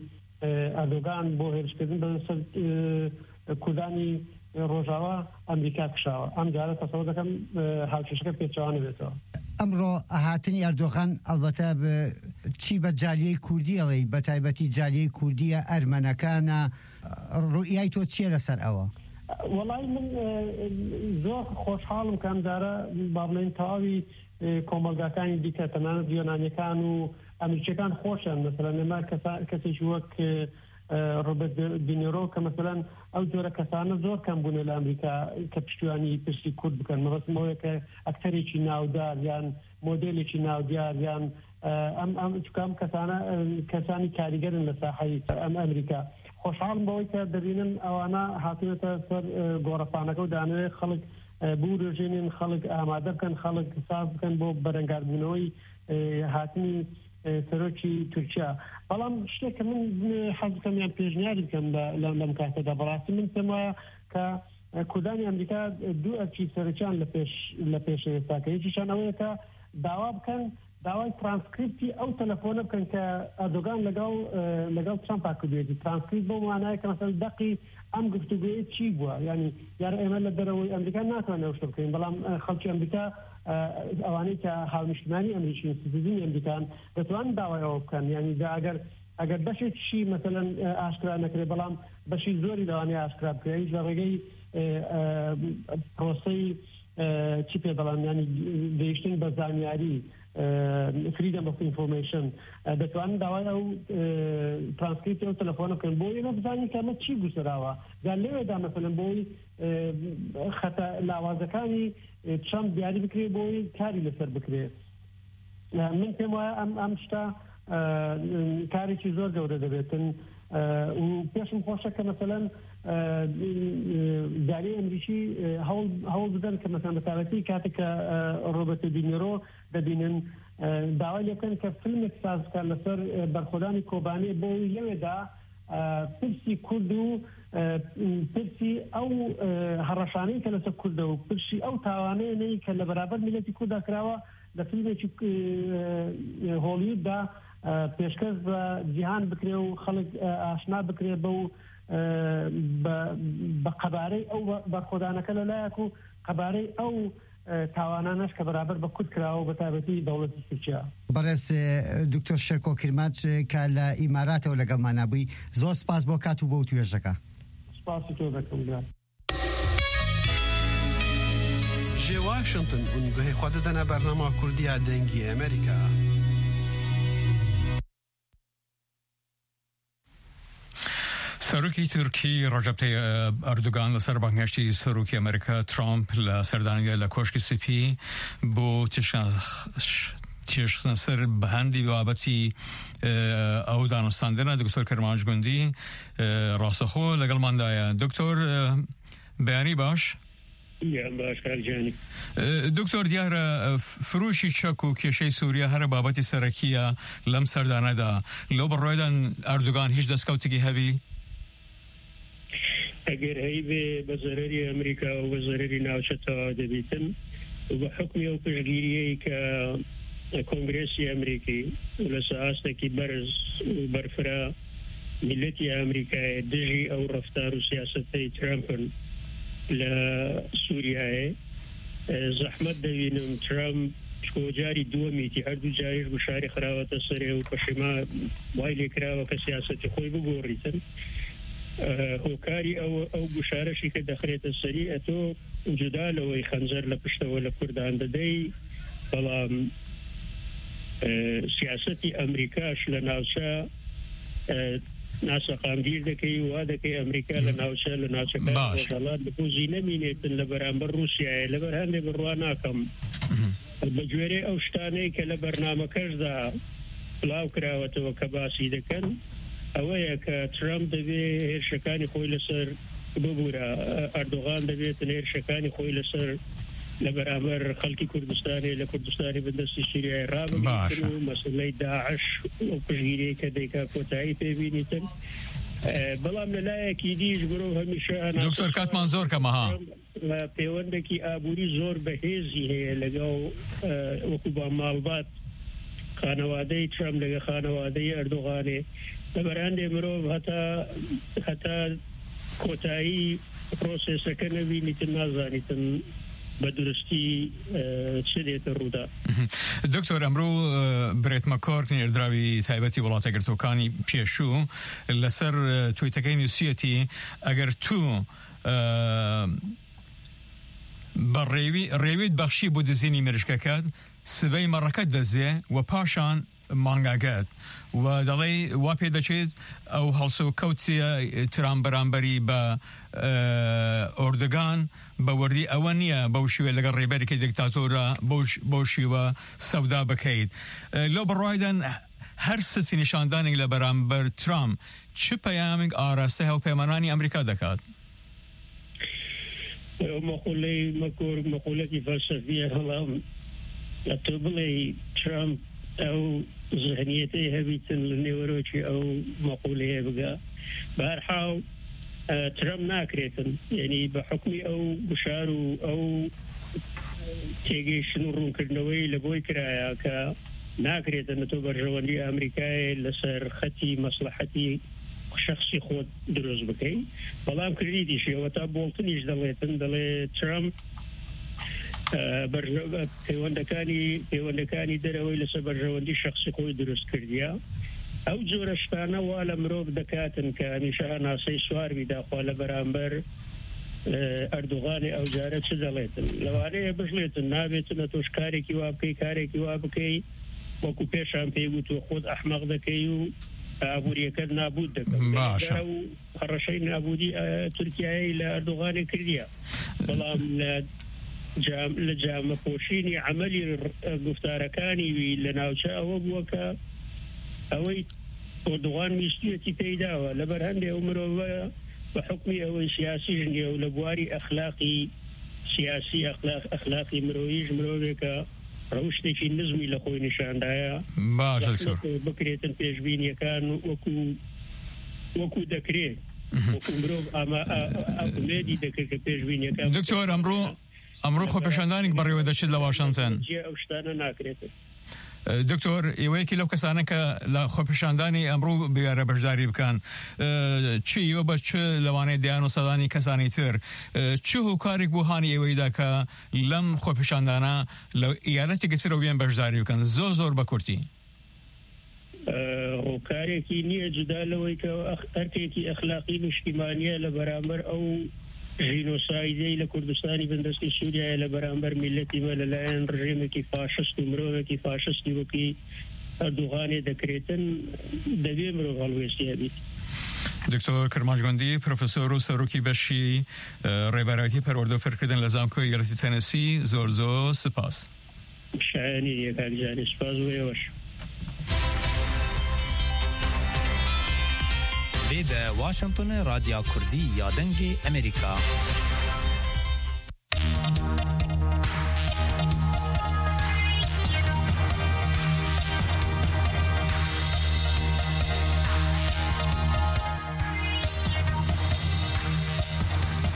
ئە، ئەردۆگان بۆ هێرشکردن بە سەر، ئە، کوردانی ڕۆژاوا ئەمریکا کشاوە. ئەم جارە تەسەوە دەکەم، ئە، هاوکێشەکە پێچەوانە بێتەوە. ئەمڕۆ هاتنی ئەردۆغان ئەلبەتە بە چی بە جالیەی کوردی ئەڵێی، بە تایبەتی جالیەی کوردیە ئەرمەنەکانە، ڕوئیای تۆ چییە لەسەر ئەوە؟ وەڵای من، ئە، زۆر خۆشحاڵم کە ئەم جارە با بڵێن تەواوی، ئە، کۆمەلگاکانی دیکە تەنانەت یۆنانیەکان و ئەمریکیەکان خۆشیان، مەسەلەن ئێمە کەسا-، کەسێکی وەک، ئە، ڕۆبەرت دینێرۆ کە مەسەلەن ئەو جۆرە کەسانە زۆر کەم بوونە لە ئەمریکا کە پشتیوانی پرسی کورد بکەن. مەبەستم ئەوەیە کە ئەکتەرێکی ناودار یان مۆدێلێکی ناودار یان، ئە، ئەم، ئەم، چونکە ئەم کەسانە، ئە، کەسانی کاریگەرن لە ساحەی ئەم ئەمریکا. خۆشحاڵم بەوەی کە دەبینم ئەوانە هاتوونەتە سەر، ئە، گۆڕەپانەکە و دانەوێت خەڵک، ئە، بوورژێنن، خەڵک ئامادە بکەن، خەڵک ساز بکەن بۆ بەرەنگاربوونەوەی، ئە، هاتنی، ئە، سەرۆکی تورکیا. بەڵام شتێک کە من، ئە، حەز بکەم یان پێشنیاری بکەم لە، لە، لەم کاتەدا، بەڕاستی من پێم وایە کە، ئە، کوردانی ئەمریکا دوو ئەرکی سەرەکیان لە پێش، لە پێش ئێستا کە یەکیشان ئەوەیە کە داوا بکەن، داوای ترانسکریپتی ئەو تەلەفۆنە بکەن کە ئەردۆگان لەگەڵ، ئە، لەگەڵ ترامپا کردوێتی. ترانسکریپت بۆ مانایە کە مەسەلەن دەقی ئەم گفتوگویە چی بووە؟ یعنی، یار ئێمە لە دەرەوەی ئەمریکا ناتوانین ئەو شتە بکەین، بەڵام، ئە، خەڵکی ئەمریکا، ئە، ئەوانەی کە هاونیشتمانی ئەمریکین، سیتیزنی ئەمریکان، دەتوانن داوای ئەوە بکەن. یعنی، دا ئەگەر، ئەگەر بەشێکیشی، مەسەلەن، ئە، ئاشکرا نەکرێ، بەڵام بەشی زۆری لەوانەیە ئاشکرا بکرێ. ئەویش لە ڕێگەی، ئە، ئە، پرۆسەی، ئە، چی پێ دەڵێن، یعنی، گەیشتن بە زانیاری، ئە، freedom of information، ئە، دەتوانن داوای ئەو، ئە، ترانسکریپتی ئەو تەلەفۆنە بکەن بۆ ئێمە بزانین کە ئەمە چی گوزەراوە. جا لەوێدا، مەسەلەن، بۆی، ئە، خەتە لاوازەکانی، ئە، ترامپ دیاری بکرێ، بۆی کاری لەسەر بکرێ. ئە، من پێم وایە ئەم، ئەم شتە، ئە، کارێکی زۆر گەورە دەبێتن. û پێشم خۆشە کە مەسەلەن دالی ئەمریکی هەوڵ هەوڵ بدەن کە مەسەلەن بە تایبەتی کاتێک کە ڕۆبەرتۆ دینیرۆ دەبینن، داوای لێ بکەن کە فیلمێک ساز بکات لەسەر بەرخۆدانی کۆبانێ بۆ ئەوەی لەوێدا پرسی کورد و پرسی ئەو هەڕەشانەی کە لەسەر کوردە و پرسی ئەو تاوانەیەی کە لە بەرامبەر میلەتی کورددا کراوە لە فیلمێکی هۆلیووددا پێشکەش بە جیهان بکرێ و خەڵک ئاشنا بکرێ بە و بە قەبارەی ئەو بەرخۆدانەکە لە لایەک و قەبارەی ئەو تاوانانەش کە بەرامبەر بە کورد کراوە بە تایبەتی دەوڵەتی تورکیا. بەڕێز دکتۆر شێرکۆ کرماچ کە لە ئیماراتەوە لەگەڵمانە بووی، زۆر سپاس بۆ کات و بۆ توێژەکە. سپاسی تۆ دەکەم. Ji Washington hûn guhê xwe didine bernama Kurdiya Dengê Amerîka. Serokî Tirkî Recep Tayyip Erdogan li ser bangehiştî Serokê Amerîka Trump li serdanê de li Koşkê Spî bo têşxistin ser bi hendî babetî ew danûstandine Doktor Kirmanc Gundî rastixwe legelman daye. Doktor, beyanî baş. Yan baş, kak Canî. Doktor, diyar e, f- firûşî çek û kêşey Sûriye here babetî serekî ye lem serdane de. Lo bi roydan Erdogan hiç destkeftîkî hebî? Eger heyvê bi zererî Amerîka û bi zererî navçe tewa dibîtin û bi hukmî ew piştgîriyê ke Kongresî Amerîkî û li ser astekî berz û berfira Milletî Amerîkayê dijî ew reftar û siyasetê Trumpin li Sûriyeyê, e, zehmet dibînim Trump ji ku carî duwemî tî, her du carî ji guşarî xirawete serê û peşêma way lê kirawe ke siyasetê xwe bigorîtin. E, hokarî ew, ew guşareşî ke dexirête serî, eto cuda li wê xencer li piştewe li Kurdan didey, belam, e, siyasetî Amerîka ji li navçe, e, naseqamgîr dekey û wa dekey Amerîka li navçe, li navçekana Rojhelat bi ku zî nemînêtin li beramber Rûsyayê, li ber hendê bi rwa nakim. Bi cwêrê ew ştanê ke li bernamekej de bilav kirawetewe ke basî dikin, ewe ye ke Trump divê hêrşekanî xwe li ser bibûra, Erdogan divê tu hêrşekanî xwe li ser li beraber xelkî Kurdistanê, li Kurdistanê bindestî Sûriyeyê rabigirîtin û meseleyê DAIŞ û piştgiriyê ke dêka kotayî pê bînîtin. E, belam li layekî dî ji mirov hemîşe Doktor, katman zor keme ha. Pêwendekî aborî zor bihêzî heye legel, e, wekû ba malbat xanewadeyê Trump lege xanewadeyê Erdoganê. Li ber hendê mirov heta, heta kotayî proseseke nebînîtin, nazanîtin bi durustî, e, çi dête rû de. Doktor, emro, e, birêt me Kork, nêrdirawî taybetî Welata Girtokanî pêşû li ser, e, tweetekey nûsiyetî, eger tu, e, bi rêwî, rêwî bexşî bo dizînî mirişkeket, sibey mereket dizê we paşan mangeket. We delê wa pê deçêt ew helsewkewtiye Trump beramberî be, e, Erdogan be werdî ewe niye bew şîwe leger rêberekî diktatora bew ş-, bew şîwe sewda bikeyt. E, lo bi royden her sisî nîşandanî le beramber Trump çi peyamêk araste hewpeymananî Amerîka dekat? Ew meqûleyê me ku meqûlekî felsefî ye, belam tu bilê Trump ew zihniyetê hebîtin li nêwerokî ew meqûleyê bige. Bi her hal, e, Trump nakirêtin. Yanî bi hukmî ew guşar û ew têgihiştin û rûnkirineweyî li boy kiraya ke nakirêtin tu berjewendî Amerîkayê li ser xetî meslehetî şexsî xwe dirust bikey. Belam kirdîtî jî, heta Bolton jî delêtin, delê Trump, e, berje-, e, pêwendekanî, pêwendekanî derewey li ser berjewendî şexsî xwe dirust kirdiya. Ew cure ştane wa li mirov dekatin ke hemîşe henasey swar bî daxwa li beramber, e, Erdoganê ew care çi delêtin. Lewanê ye bijlêtin, nabêtin, tu ji karekî wa bikey, karekî wa bikey. Wekû pêşan pê got, tu xwe ehmeq dekey û aboriyeke nabûd dike. Baş e. Ew hereşeyê nabûdî, e, Tirkiyeyê li Erdoganê kiriye. Belam li cam-, li camepoşînî emelî, e, guftarekanî wî li navçe ewe bûye ke ewey ئەردوغان ویستویەتی پێی داوە، لەبەر هەندێ ئەو مرۆڤە بە حکمی ئەوەی سیاسی ژنیە و لە بواری ئەخلاقی سیاسی، ئەخلاق، ئەخلاقی مرۆییش مرۆڤێکە ڕەوشتێکی نزمی لە خۆی نیشاندایە. باش، دکتۆر. زەحمەتە بکرێتن پێشبینیەکان وەکو، وەکو دەکرێت. مهم. وەکو مرۆڤ ئاما-، ئا-، ئا-، ئومێدی دەکرد کە پێشبینیەکان دکتۆر، ئەمڕۆ، ئەمڕۆ خۆپێشاندانێک بەڕێوە دەچێت لە واشنگتن. جێ ئەو شتانە ناکرێتن. دکتۆر، ئێوەیەکی لەو کەسانە کە لە خۆپێشاندانی ئەمڕوو بوارە بەشداری بکەن. ئە، چی ئێوە بە چ لەوانەیە دەیان و سەدانی کەسانی تر، ئە، چ هۆکارێک بۆ هانی ئێوەیدا کە لەم خۆپێشاندانە لە ئیالەتێکی ترەوە بێن بەشداری بکەن؟ زۆر زۆر بە کورتی. ئە، هۆکارێکی نییە جودا لەوەی کە ئەخ-، ئەرکێکی ئەخلاقی نیشتیمانیە لە بەرامبەر ئەو ژینۆسایدەی لە کوردستانی بندەستی سووریایە لە بەرامبەر میلەتی مە لەلایەن ڕژێمێکی فاشست و مرۆڤێکی فاشستی وەکی ئەردوغانێ دەکرێتن، دەبێ مرۆڤ هەڵوێستی هەبیت. دکتۆر کرمانج گوندی، پرۆفسۆر و سەرۆکی بەشی، ئە، ڕێبەرایەتی پەروەردە و فێرکردن لە زانکۆی یەلسی تەنەسی، زۆر زۆر سپاس. شایانی یەکاک جاری سپاس بۆ ئێوەش. Vê de Washingtonê Radya Kurdî ya Dengê Amerîka.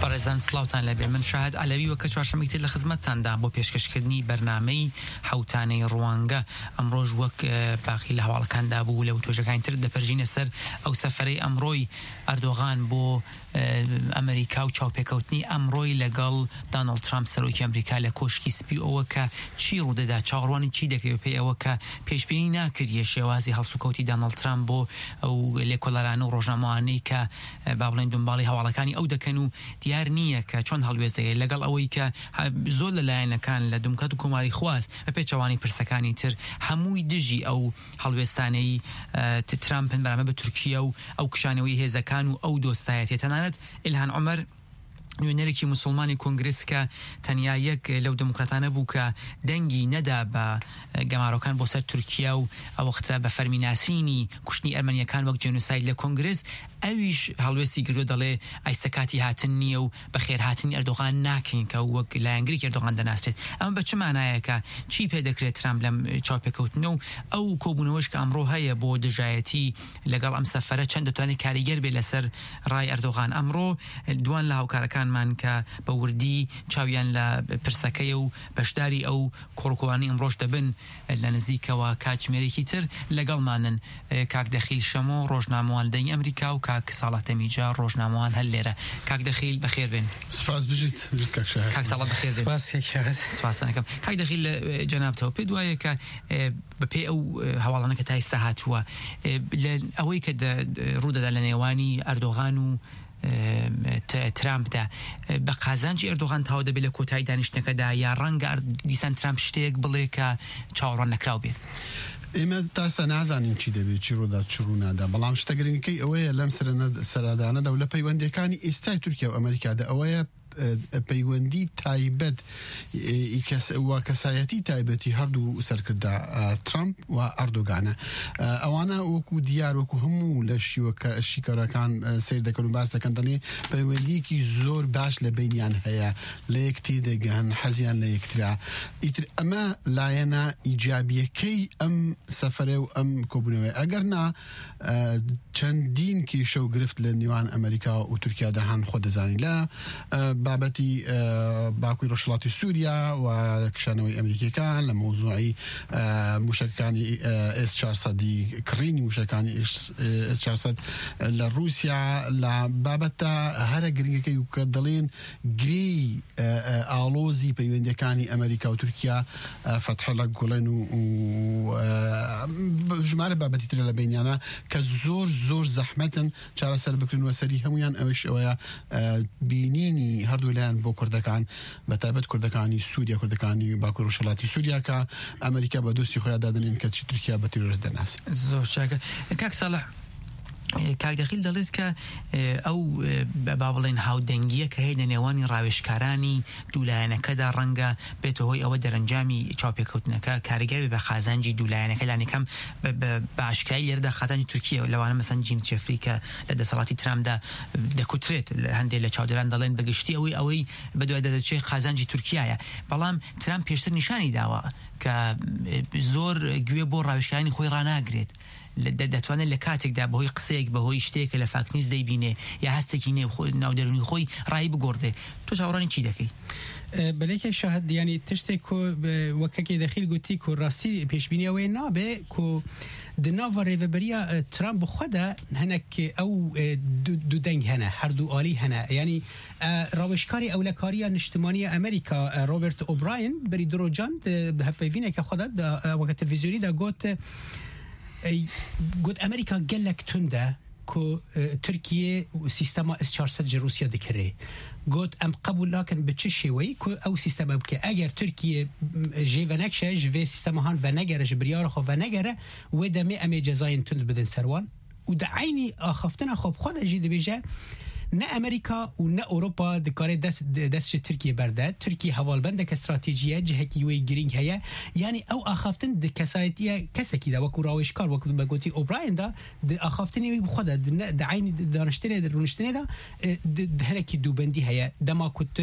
بەڕێزان، سڵاوتان لەبێ. من شاهد عەلەوی وەکە چوارشەممەی تر لە خزمەتتاندا بۆ پێشکەشکردنی بەرنامەی حەوتانەی ڕوانگە. ئەمڕۆژ وەک، ئە، باقی لە هەواڵەکاندا بوو لە وتۆژەکانی تر دەپەرژینە سەر ئەو سەفەرەی ئەمڕۆی ئەردۆغان بۆ، ئە، ئەمریکا و چاوپێکەوتنی ئەمڕۆی لەگەڵ دانەڵد ترامپ سەرۆکی ئەمریکا لە کۆشکی سپی ئەوە کە چی ڕوودەدا، چاوەڕوانی چی دەکرێت پێی ئەوە کە پێشبینی ناکردیە شێوازی هەڵسوکەوتی دانەڵد ترامپ بۆ ئەو لێکۆلەرانە و ڕۆژنامەوانەی کە، ئە، با بڵێن دنباڵی هەواڵەکانی ئەو دەکەن و دیار نییە کە چۆن هەڵوێست دەگرێت لەگەڵ ئەوەی کە هە-، زۆر لەلایەنەکان لە دموکرات و کۆماری خواست بە پێچەوانی پرسەکانی تر هەمووی دژی ئەو هەڵوێستانەی، ئە، ت-، ترامپن بەرامبەر بە تورکیا و ئەو کشانەوەی هێزەکان و ئەو دۆستایەتێ. تەنانەت ئیلهان عومەر، نوێنەرێکی موسڵمانی کۆنگرس کە تەنیا یەک لەو دموکراتانە بوو کە دەنگی نەدا بە گەمارۆکان بۆ سەر تورکیا و ئەو وەختە بە فەرمی ناسینی کوشتنی ئەرمەنیەکان وەک جێنوساید لە کۆنگرس، ئەویش هەڵوێستی گردو دەڵێ ئایسە کاتی هاتن نییە و بە خێرهاتنی ئەردۆغان ناکەین کە وەک لایەنگرێکی ئەردۆغان دەناسرێت. ئەمە بە چ مانایەکە؟ چی پێ دەکرێت ترامپ لەم چاوپێکەوتنە و ئەو کۆبوونەوەش کە ئەمڕۆ هەیە بۆ دژایەتی لەگەڵ ئەم سەفەرە چەند دەتوانێت کاریگەر بێت لەسەر ڕای ئەردۆغان؟ ئەمڕۆ دوان لە هاوکارەکانمان کە بە وردی چاویان لە پرسەکەیە و بەشداری ئەو کۆڕکۆوانی ئەمڕۆش دەبن لە نزیکەوە کاتژمێرێکی تر لەگەڵمانن. کاک دەخیل شەمۆ، ڕۆژنامەوان لە دەنگی ئەمریکا، و کاک ساڵح تەمیجا، ڕۆژنامەوان هەر لێرە. کاک دەخیل، بەخێر بێن. سپاس بژیت، بژیت کاک شاهد. کاک ساڵح، بەخێر بێن. سپاس کاک شاهد. سپاستان دەکەم. کاک دەخیل، لە، ئە، جەنابتەوە پێ دوایە کە، ئە، بە پێی ئەو، ئە، هەواڵانە کە تا ئێستا هاتووە، ئە، لە ئەوەی کە دە-، ڕوو دەدا لە نێوانی ئەردۆغان و، ئە، ت-، ترامپدا، ئە، بە قازانجی ئەردۆغان تاو دەبێت لە کۆتایی دانیشتنەکەدا، یا ڕەنگە ئەر-، دیسان ترامپ شتێک بڵێ کە چاوەڕوان نەکراو بێت؟ ئێمە تا ئێستا نازانین چی دەبێت، چی ڕوودا، چی ڕوونادا. بەڵام شتە گرنگەکەی ئەوەیە لەم سەرەنە-، سەرادانەدا و لە پەیوەندیەکانی ئێستای تورکیا و ئەمریکادا ئەوەیە، ئە، پەیوەندی تایبەت، ئە، ئی کەس-، و کەسایەتی تایبەتی هەردوو سەرکردە، ئە، ترامپ و ئەردۆگانە. ئە، ئەوانە وەکو دیار، وەکو هەموو لە شیوەکە-، شیکارەکان، ئە، سیر دەکەن و باس دەکەن، دەڵێ پەیوەندیەکی زۆر باش لە بینیان هەیە، لە یەک تێدەگەن، حەزیان لە یەکترە. ئیتر ئەمە لایەنە ئیجابیەکەی ئەم سەفەرە و ئەم کۆبوونەوەیە. ئەگەر نا، ئە، چەندین کێشە و گرفت لە نێوان ئەمریکا و تورکیادا هەن، خۆ دەزانی، لە، ئە، بابەتی، ئە، باکووری ڕۆژهەڵاتی سووریا و کشانەوەی ئەمریکیەکان، لە مەوزوعی، ئە، موشەکەکانی، ئە، ئێس چوار سەد، کڕینی موشەکانی ئێس، ئێس چوار سەد لە رووسیا، لە بابەتە هەرە گرنگەکەی و کە دەڵێن گرێی، ئە، ئە، ئاڵۆزی پەیوەندیەکانی ئەمریکا و تورکیا، ئە، فەتحەڵە گوڵێن و، و، ئە، ب-، ژمارە بابەتی ترە لە بینیانە کە زۆر، زۆر زەحمەتن چارەسەر بکرێن و سەری هەمویان ئەوش ئەوەیە، ئە، بینینی هەردوو لایەن بۆ کوردەکان، بە تایبەت کوردەکانی سووریا، کوردەکانی باکوور ڕۆژهەڵاتی سووریا کە ئەمریکا بە دۆستی خۆیان دادنێن کە چی تورکیا بە تیرۆرست دەناسێت. زۆر چاکە. کاک ساڵح، کاک دەخیل دەڵێت کە ئەو، با بڵێن، هاودەنگیە کە هەیە لە نێوانی ڕاوێژکارانی دوو لایەنەکەدا ڕەنگە بێتە هۆی ئەوە دەرەنجامی چاوپێکەوتنەکە کاریگەر بێ بە قازانجی دوو لایەنەکە، لانی کەم بە ئاشکایی لێرەدا قازانجی تورکیە، لەوانە مەسەن جیم جێفری کە لە دەسەڵاتی ترامدا دەکوترێت. هەندێک لە چاودێران دەڵێن بە گشتی ئەوەی ئەوەی بە دوای دەدەچێت قازانجی تورکیایە. بەڵام ترامپ پێشتر نیشانی داوە کە زۆر گوێ بۆ ڕاوێژکارانی خۆی ڕاناگرێت. دەتوانێت لە کاتێکدا بەهۆی قسەیەک، بەهۆی شتێکە لە فاکس نیوز دەیبینێ یا هەستێکی نێو ناودەرونی خۆی ڕای بگۆڕێ. تۆ چاوەڕانی چی دەکەی؟ بەلێکێ شاهد، یعنی تشتێک کو وەکەکێ دەخیل گوتی کو ڕاستی پێشبینیەوەی نابێ کو di nava rêveberiya Trump bi xwe de hinek ew du deng hene, her du alî hene. Yanî rawêjkarê ewlekariya niştimaniya Amerîka, Robert O'Brien, berî du rojan di hevpeyvîneke xwe de, weke televîzyonî de got, got Amerîka gelek tund e ku Tirkiye sîstema S çar sed ji Rûsya dikirê. Got, em qebûl nakin bi çi şêweyî ku ew sîsteme bike. Eger Tirkiye jê venekşe, ji vê sîstema han venegere, ji biryara xwe venegere, wê demê em ê cezayên tund bidin ser wan. Û di eynî axaftina xwe bi xwe de jî dibêje, ne Amerîka û ne Ewropa dikare dest, dest ji Tirkiye berde. Tirkiye hevalbendeke stratejî ye, cihekî wê girîng heye. Yanî ew axaftin di kesayetiya kesekî de, wekû rawêjkar, wekû me gotî O'Brien de, di axaftinê wî bi xwe de, di ne, di eynî daniştinê de, rûniştinê de, e, di, di hinekî dûbendî heye. Dema ku tu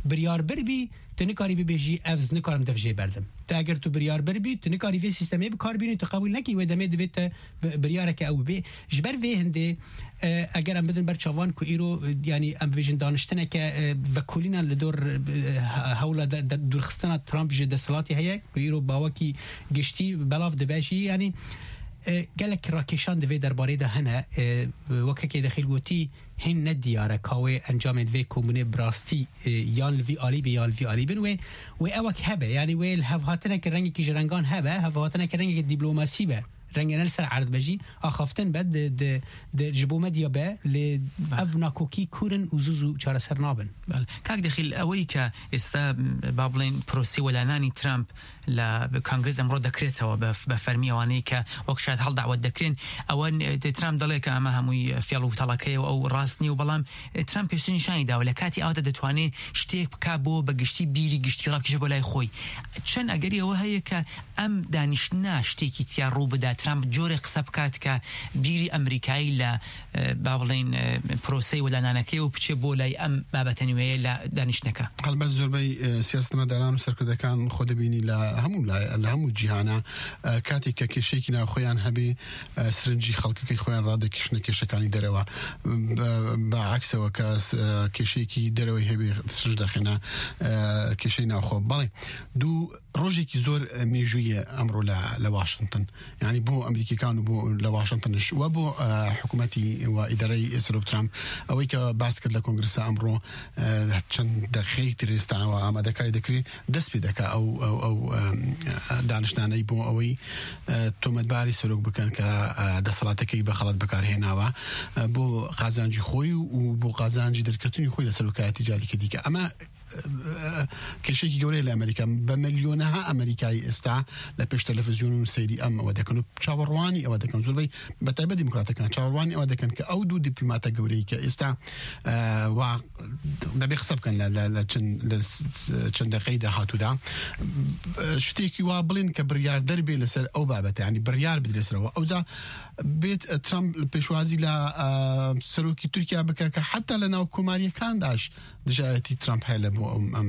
biryar bir bî, tu nikarî bibêjî, ev ez nikarim dev jê berdim. Tu eger tu biryar bir bî, tu nikarî vê sîstemê bi kar bînî, tu qebûl nekî, wê demê divê te bi-, biryareke ew bibê. Ji ber vê hindê, e, eger em bidin ber çavan ku îro, e, yanî em bibêjin daniştineke, e, vekolîna li dor, e, he-, hewla de, de, dûrxistina Trump ji desthilatê heye, ku îro bawekî giştî belav dibe jî, yanî, e, gelek rakêşan di vê derbarê de hene. E, wekekê dexîl gotî, hîn ne diyar e ka wê encamên vê komûnê bi rastî, e, yan li vî alî bin yan li vî alî bin. Wê, wê ewek hebe, yanî wê li hevhatineke rengekî ji rengan hebe, hevhatineke rengekî dîplomasî be. Rengê ne li ser erd be jî, axaftin be, di, di, di, ji bo medya be, lê Bale. Ev nakokî kûr in û zû zû çareser nabin. Bale. Kak Dexîl، ئەوەی کە ئێستا، با بڵێن، پرۆسەی وەلانانی ترامپ لە کانگرس ئەمڕۆ دەکرێتەوە بە، بە فەرمی، ئەوانەی کە وەک شاید هەڵداوت دەکرێن، ئەوە ن-، ترامپ دەڵێ کە ئەمە هەمووی فێڵ و تەڵەکەیە و ئەو ڕاست نییە و، بەڵام ترامپ پێشتر نیشانی داوە لە کاتی ئاواتە دەتوانێت شتێک بکا بۆ بە گشتی بیری گشتی ڕاکیشە بۆ لای خۆی. چەند ئەگەری ئەوە هەیە کە ئەم دانیشتنە شتێکی تیا ڕوو بدا، ترامپ جۆرێ قسە بکات کە بیری ئەمریکایی لە، ئە، با بڵێن، ئە، پرۆسەی وەلانانەکەی و بچێ بۆ لای ئەم بابەتە نوێیە لە دانیشتنەکە. هەڵبەت زۆربەی، ئە، سیاستمەداران و سەرکردەکان خۆ دەبینی لە هەموو لای-، لە هەموو جیهانە، ئە، کاتێک کە کێشەیەکی ناوخۆیان هەبێ، ئە، سرنجی خەڵکەکەی خۆیان ڕادەکیشنە کێشەکانی دەرەوە. بە، بە عەکسەوە کە س-، ئە، کێشەیەکی دەرەوەی هەبێ سرنج دەخێنە، ئە، کێشەی ناوخۆ. بەڵێ، دوو ڕۆژێکی زۆر، ئە، مێژوویە ئەمڕۆ لە، لە واشنگتن. یعنی بۆ ئەمریکیەکان و بۆ لە واشنگتنش و بۆ، ئە، حکوومەتی و ئیدارەی سەرۆک ترامپ. ئەوەی کە باس کرد لە کۆنگرسە ئەمڕۆ، ئە، چەند دەقەی تر ئێستاوە ئامادەکاری دەکرێت، دەست پێ دەکا ئەو، ئەو، ئەو، ئەم، ئە، دانیشتانەی بۆ ئەوەی، ئە، تۆمەتباری سەرۆک بکەن کە، ئە، دەسەڵاتەکەی بە خەڵەت بەکارهێناوە، ئە، بۆ قازانجی خۆی و، و بۆ قازانجی دەرکردنی خۆی لە سەرۆکایەتی جارێکی دیکە. ئەمە، ئە، ئە، کێشەیەکی گەورەیە لە ئەمریکا. بە ملیۆنەها ئەمریکایی ئێستا لە پێش تەلەفزیۆن و سەیری ئەم ئەوە دەکەن و چاوەڕوانی ئەوە دەکەن. زۆربەی بە تایبەت دیموکراتەکان چاوەڕوانی ئەوە دەکەن کە ئەو دوو دیپلۆماتە گەورەی کە ئێستا، ئە، وا دەبێ قسە بکەن لە، لە، لە چەند، لە س-، س-، چەند دەقەی داهاتوودا، ئە، شتێکی وا بڵێن کە بڕیاردەر بێ لەسەر ئەو بابەتە، یعنی بڕیار بدرێ سەرەوە. ئەوجا بێت، ئە، ترامپ پێشوازی لە، ئە، سەرۆکی تورکیا بکە کە حتا لە ناو کۆماریەکانداش دژایەتی ترامپ هەیە لە بۆ ئەم، ئەم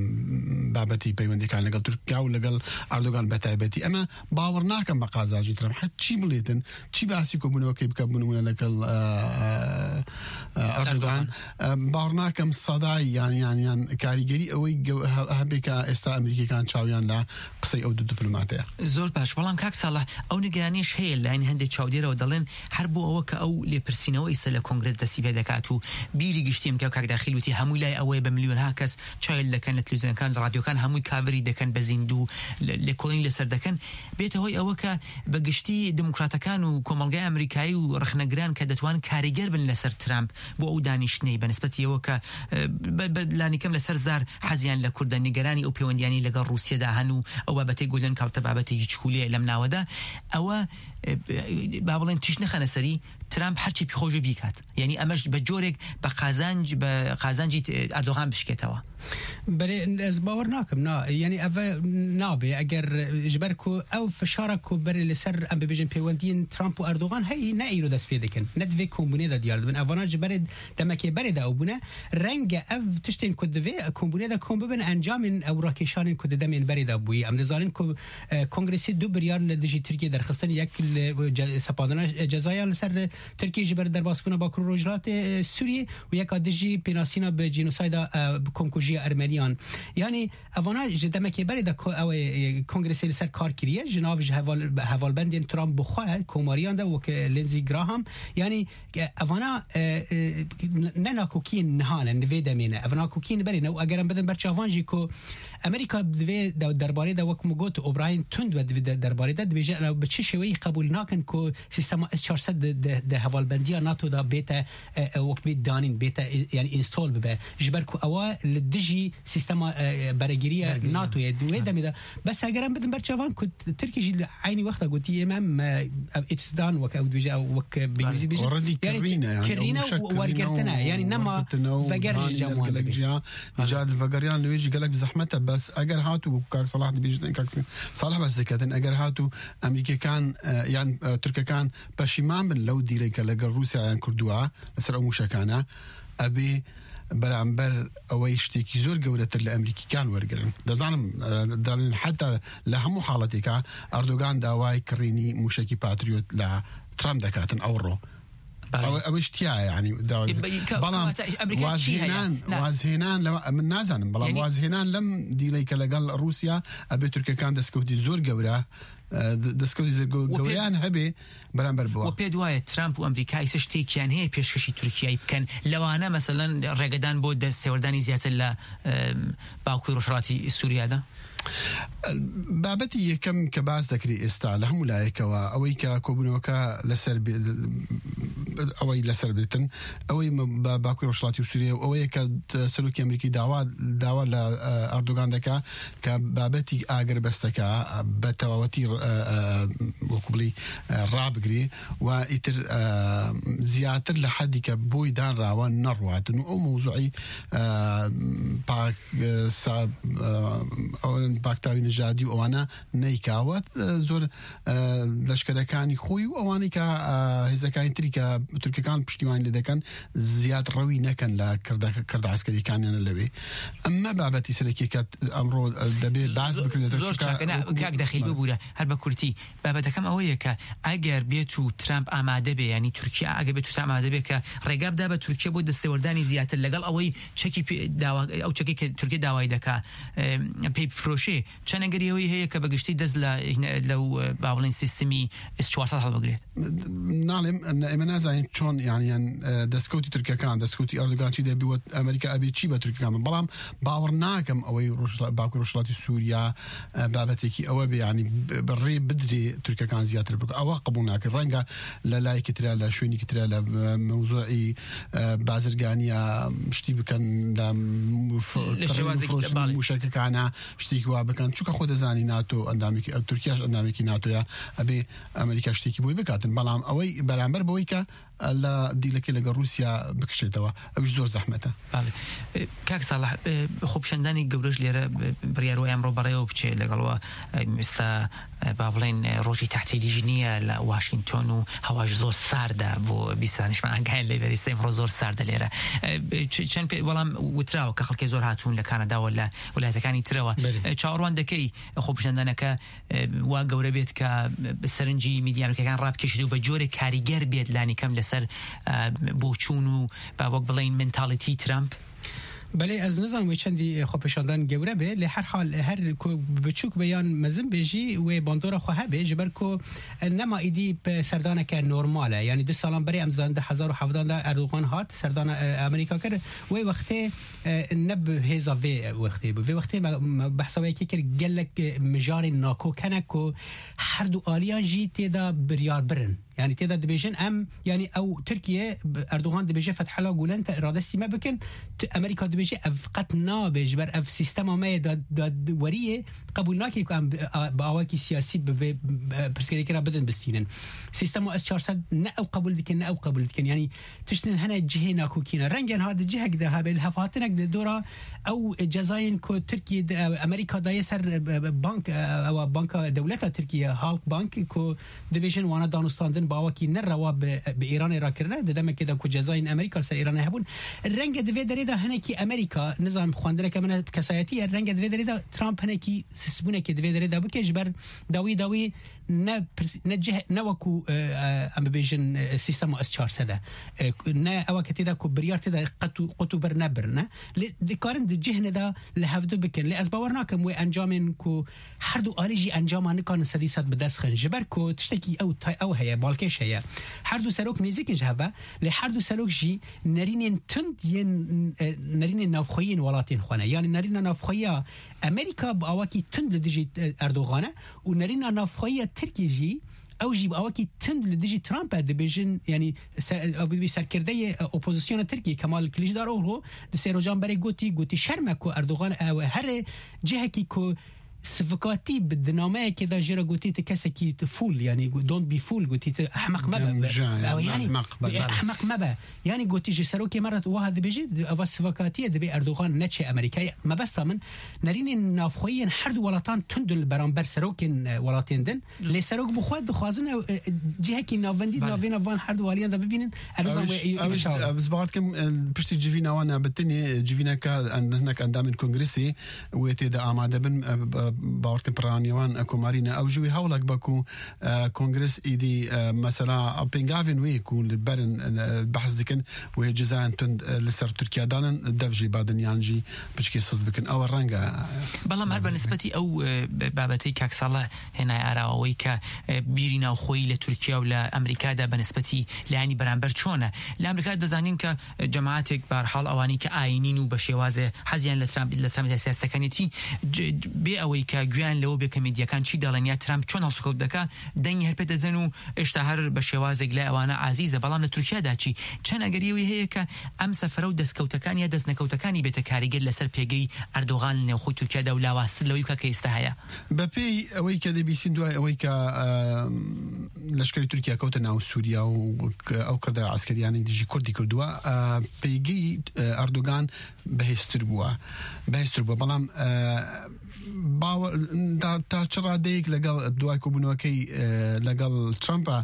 بابەتی پەیوەندیەکان لەگەڵ تورکیا و لەگەڵ ئەردۆگان بە تایبەتی. ئەمە باوەڕ ناکەم بە قازانجی ترامپ. هەر چی بڵێتن، چی باسی کۆبوونەوەکەی بکە، بوونەوە لەگەڵ، ئە، ئە، ئە، ئەردۆگان. ئەردۆگان. ئە، باوەڕ ناکەم سەدای یان، یان، یان کاریگەری ئەوەی گەو-، هە-، هەبێ کە ئێستا ئەمریکیەکان چاویان لە قسەی ئەو دوو دیپلۆماتەیە. زۆر باش، بەڵام کاک ساڵح، ئەو نیگەرانیش هەیە لە لایەنی هەندێک چاودێرەوە، دەڵێن هەر بۆ ئەوە کە ئەو لێپرسینەوە ئیسە لە کۆنگرس دەستی پێ دەکات و بیری گشتی ئەم کە کاک داخیل وتی هەمووی لای ئەوەیە بە ملیۆنها کەس چاویل دەکەن لە تلویزیۆنەکان، لە ڕادیۆکان، هەمووی کاڤری دەکەن بە زیندوو، لە، لێکۆڵینی لەسەر دەکەن. بێتە هۆی ئەوە کە بە گشتی دیموکراتەکان و کۆمەڵگای ئەمریکایی و ڕەخنەگران کە دەتوان کاریگەر بن لەسەر ترامپ بۆ ئەو دانیشتنەی بە نسبەتی ئەوە کە، ئە، بە، بە لانی کەم لەسەر زار حەزیان لە کوردە، نیگەرانی ئەو پەیوەندیانی لەگەڵ ڕووسیەدا هەن و ئەو بابەتەی گۆلن کاوتە بابەتێکی چکولیە لەم ناوەدا. ئەوە، ئە، با بڵێن تیش نەخەنە سەری، ترامپ هەرچی پێی خۆش بێ بیکات. یعنی ئەمەش بە جۆرێک بە قازانج، بە قازانجی ئەردۆغان بشکێتەوە. بەێ، ez bawer nakim, na, yanî ev nabe. Eger ji ber ku ew fişara ku berê li ser, em bibêjin, pêwendiyên Trump û Erdogan heyî, ne îro dest pê dikin, ne di vê kombûnê de diyar dibin. Evana ji berê, demekê berê de ew bûne. Renge ev tiştên ku di vê kombûnê de kom bibin, encamên ew rakêşanên ku di demên berê de bûyî. Em dizanin ku, e, Kongresê du biryar li dijî Tirkiyê derxistin, yek li ce-, sepandina cezayan li ser Tirkiyê ji ber derbasbûna Bakur û Rojhilatê, e, Sûriyê û yeka dijî pênasîna bi cînosayda, e, bi komkujiya Ermeniyan. Yanî evana ji demekê berê de ko-, ew ê, e, Kongresê li ser kar kiriye, ji nav ji heval-, hevalbendên Trump bi xwe komariyan de wek, e, Lindsey Graham. Yanî, e, evana, e, e, ne nakokiyên niha ne, li vê demê ne. Ev nakokiyên berê ne. Û eger em bidin ber çavan jî ku Amerîka di vê de, derbarê de, wek min got, obrahên tund ve di vê de, derbarê de dibêje, ew bi çi şêweyî qebûl nakin ku sîstema S çar sed di, di, di hevalbendiya NATO de bête, e, e, wek bê danîn, bête, e, yani install bibe. Ji ber ku ewa li dijî sîstema, e, e, beregiriya NATO ye. Di wê demê de, bes eger em bidin ber çavan ku Tirkî jî li eynî wexta gotî, ê me, me, ev, it's done, wek ew dibêje, ew wek bi îngilîzî dibêje. Already kirîne, yani, kirîne û wergirtine, yani nema veger ji cem wan dibê. Îca di vegeriyan li wê jî gelek bi zehmet e, bes eger hat û kak Salah dibêjin, kak Salah bes diketin, eger hat û Amerîkekan, e, yan, e, Tirkekan peşîman bin lew dîleke leger Rûsya yan kurdûa li ser ew mûşekane, ebê beramber ewey ştêkî zor gewretir li Amerîkîkan wergirin. Dezanim, e, dalin heta li hemû haletêka Erdogan daway kirînî mûşekî Patriot li Trump dekatin ew ro. Ew, ew tiştiya, yani, dawa. E, be-, ka-, Balam kawata, Amerîka çi heye? Wazhênan, wazhênan lem, min nazanim, balam yani wazhênan lem dîleyke legal Rûsya, ebê Tirkekan destkewtî zor gewre, e, de-, destkewtî zor ge-, gewreyan hebê beramber biwa. We pê duwaye Trump û Amerîka îse ştêkiyan heye pêşkêşî Tirkiyeyê bikin. Lewana, meselen, rêgedan bo destewerdani ziyatır la, e, Bakur Rojhilatî Sûriya de? بابەتی یەکەم کە باس دەکری ئێستا لە هەموو لایەکەوە، ئەوەی کە کۆبوونەوەکە لەسەر بێ-، ئەوەی لەسەر بێتن، ئەوەی مە-، بە باکوور ڕۆژهەڵاتی سووریە و ئەوەیە کە ت-، سەرۆکی ئەمریکی داوا، داوا لە، ئە، ئەردۆگان دەکا کە بابەتی ئاگربەستەکە بە تەواوەتی، ئە، ئە، وەکو بڵی، ئە، ڕابگری و ئیتر، ئە، زیاتر لە حەدی کە بۆی دانراوە نەڕواتن و ئەو مەوزوعی، ئە، پاک، ئە، سا-، ئە، ئەوەن پاکتاوی نژادی و ئەوانە نەیکاوە، ئە، زۆر، ئە، لەشکەرەکانی خۆی و ئەوانەی کە، ئە، هێزەکانی تری کە تورکەکان پشتیوانی لێ دەکەن زیاد ڕەوی نەکەن لە کردە-، کردە عەسکەریەکانیان لەوێ. ئەمە بابەتی سەرەکیەکە ئەمڕۆ، ئە، دەبێ باس زۆ-، بکرێتەوە، زۆر چونکە چاکە. نە، وەکو کاک دەخیل بەڵێ. ببوورە، هەر بە کورتی. بابەتەکەم ئەوەیە کە ئەگەر بێت و ترامپ ئامادە بێ، یعنی تورکیا ئەگەر بێت و ترامپ ئامادە بێ کە ڕێگا بدا بە تورکیا بۆ دەستێوەردانی زیاتر لەگەڵ ئەوەی چەکی پێ داوا-، ئەو چەکی کە تورکیا داوای دەکا، ئێ، پێی بفرۆشێ، چەند ئەگەری ئەوەی هەیە کە بە گشتی دەست لە، لەو، ئە، با بڵێن سیستمی S چوار سەد هەڵبگرێت؟ ناڵێم، ئێمە نازانین چۆن، یانیان، ئە، دەستکەوتی تورکەکان، دەستکەوتی ئەردوگان چی دەبی و ئەمریکا ئەبێ چی بە تورکەکان بن. بەڵام باوەڕ ناکەم ئەوەی ڕۆژ-، باکوور ڕۆژهەڵاتی سووریا، ئە، بابەتێکی ئەوە بێ، یعنی ب-، بە ڕێ بدرێ تورکەکان زیاتر بکە. ئەوە قبول ناکرێت. ڕەنگە لە لایەکی ترا، لە شوێنێکی ترا، لە، ئە، مەوزوعی، ئە، بازرگانیە شتی بکەن، لە م-، ف-، لە کڕین و شێوازێکی فرۆشتنی تر، بەڵێ. موشەکەکانە شتێکی وا بکەن. چونکە خۆ دەزانی ناتۆ ئەندامێکی، ئە، تورکیاش ئەندامێکی ناتۆیە، ئەبێ ئەمریکا شتێکی بۆی بکاتن. بەڵام ئەوەی بەرامبەر بەوەی کە لە دیلەکەی لەگەڵ رووسیا بکشێتەوە، ئەوش زۆر زەحمەتە. بەڵێ. کاک ساڵح، خۆپیشاندانی گەورەش لێرە بڕیار وایە ئەمڕۆ بەڕێوە بچێ لەگەڵەوە، ئێستا، با بڵێن، ڕۆژی تەحتیلیش نییە لە واشنگتۆن و هەواش زۆر ساردە بۆ بیست دانیشتوان ئاگایان لێ بەری سێ ئەمڕۆ زۆر ساردە لێرە. چ-، چەند پێ-، بەڵام وتراوە کە خەڵکی زۆر هاتوون لە کانادا و لە ویلایەتەکانی ترەوە. بەڵێ. چاوەڕوان دەکەی خۆپیشاندانەکە ئە، وا گەورە بێت کە سەرنجی میدیا ئەمریکیەکان ڕابکێشێت و بە جۆرێک کاریگەر بێت لانی کەم لەسەر، ئە، بۆچوون و با وەک بڵێن مێنتاڵیتی ترامپ؟ بەڵێ، ئەز نزانم وێ چەندی خۆپیشاندان گەورە بێ، لێ هەر حال، هەر کو بچووک بێ یان مەزن بێ ژی وێ باندۆرە خۆ هەبێ، ji ber ku nema îdî bi serdaneke normal e. Yanî du salan berê em dizanin du hezar û hevdan de Erdogan hat serdana, e, Amerîka kir. Wê wextê e, ne bi hêza vê wextê bû. Vê wextê me, me behsa wê yekê kir, gelek, e, mijarên nakok hene ku her du aliyan jî tê de biryar birin. Yanî tê de dibêjin em, yanî ew Tirkiye, Erdogan dibêje Fethullah Gulen te radestî me bikin. Tu, Amerîka dibêje ev qet nabe, ji ber ev sîstema me ye da-, dadweriyê qebûl nake ku em bi, a, bi awakî siyasî bi vê, e, pirsgirêkê re bidin bistînin. Sîstema S çar sed ne ew qebûl dikin, ne ew qebûl dikin. Yanî tiştin hene cihê nakokî ne. Rengên ha di cihek de hebe, li hevhatinek di dora ew cezayên ku Tirkiye de, e, Amerîka daye ser, e, e, bank, e, ewa banka dewleta Tirkiye, Halk Bank, ku dibêjin wana danûstandin bi awakî nerewa bi, bi Îranê re kirine, di demekê de ku cezayên Amerîka li ser Îranê hebûn. Renge di vê derê de hinekî Amerîka, nizanim xwendineke min e kesayetî ye, renge di vê derê de Trump hinekî sistbûnekê di vê derê de bike, ji ber dawî dawî ne pirs-, ne cih-, ne wekû, e, e, em bibêjin, e, sîstema S çar sed e. E, ne ew ke tê de ku biryar tê de qet û, qut û bir nebirine. Lê dikarin di cihne de li hevdu bikin. Lê ez bawer nakim wê encamên ku her du alî jî encama nikarin sedî sed bi dest xin. Ji ber ku tiştekî ew tay-, ew heye, balkêş heye. Her du serok nêzîk in ji hev ve, lê her du serok jî nerînên tund yên, e, nerînên navxweyî yên welatên xwe ne. Yanî nerîna navxweyiya Amerîka bi awakî tund li dijî, e, Erdogan e û nerîna navxweyiya Tirkiyê jî, ew jî bi awakî tund li dijî Trump e, dibêjin, yanî ser-, ew dibî serkirdeyê, e, opozisyona Tirkiyê Kemal Kiliçdaroglu di sê rojan berê gotî, gotî şerm e ku Erdogan ew here cihekî ku sivikatî bi dinameyekê de jê re gotî tu kesekî tu fool, yanî don't be fool, gotî tu ehmeq mebe. Demja, Ew yanî yanî ehmeq be, bele. ehmeq mebe. Yanî gotî ji serokê me re wiha dibêjî, eva sivikatiyê dibê Erdogan neçe Amerîkayê. Mebesta min nerînên navxweyî yên her du welatan tund in li beramber serokên, e, welatên din. Lê serok bi xwe dixwazin ew, e, cihekî navendî Bale. navêna van her du aliyan de bibînin. Ez Ew nizam wê iş-, ew iş-, ew ez bawer dikim, e, piştî civîna wan e, bi tenê civîneke en-, hinek endamên kongresî wê tê de amade bin, e, b-, bawer dikim piraniya wan, e, komarî ne. Ew jî wî hewlek be ku, e, kongres îdî, e, mesela pêngavên wê ku li berin, e, behs dikin, wê cezayên tund, e, li ser Tirkiye danin, dev jî badin yan jî piçkê siz bikin. Ew reng e. بەڵام هەر بە نسبەتی ئەو، ئە، بابەتەی کاک ساڵح هێنای ئاراوەوەی کە، ئە، بیری ناوخۆیی لە تورکیا و لە ئەمریکادا بە نسبەتی لایەنی بەرامبەر چۆنە؟ لە ئەمریکا دەزانین کە جەماعەتێک، بارحاڵ ئەوانەی کە ئاینین و بە شێوازێ حەزیان لە ترامپ، لە ترامپ سیاستەکانێتی، ج-، بێ ئەوەی کە گویان لەوە بێ کە میدیاکان چی دەڵێن یا ترامپ چۆن هەڵسوکەوت دەکا، دەنگی هەر پێ دەدەن و ئێشتا هەر بە شێوازێک لای ئەوانە عازیزە. بەڵام لە تورکیادا چی؟ چەند ئەگەریەوەی هەیە کە ئەم سەفرە و دەستکەوتەکان یا دەستنەکەوتەکانی بێتە کاریگەر لەسەر پێگەی ئەردۆغان لە نێوخۆی تورکیادا و لاوازتر لەوەی کە ئێستا هەیە؟ بە پێی ئەوەی کە دەبیسین دوای ئەوەی کە، ئە، لەشکری تورکیا کەوتە ناو سووریا و ک-، ئەو کردە عەسکەریانەی دژی کوردی کردووە، ئە، پێگەی، ئە، ئەردۆگان بەهێزتر بووە. بەهێزتر بووە. بەڵام، ئە، باوە-، تا، تا چ ڕادەیەک لەگەڵ دوای کۆبوونەوەکەی، ئە، لەگەڵ ترامپا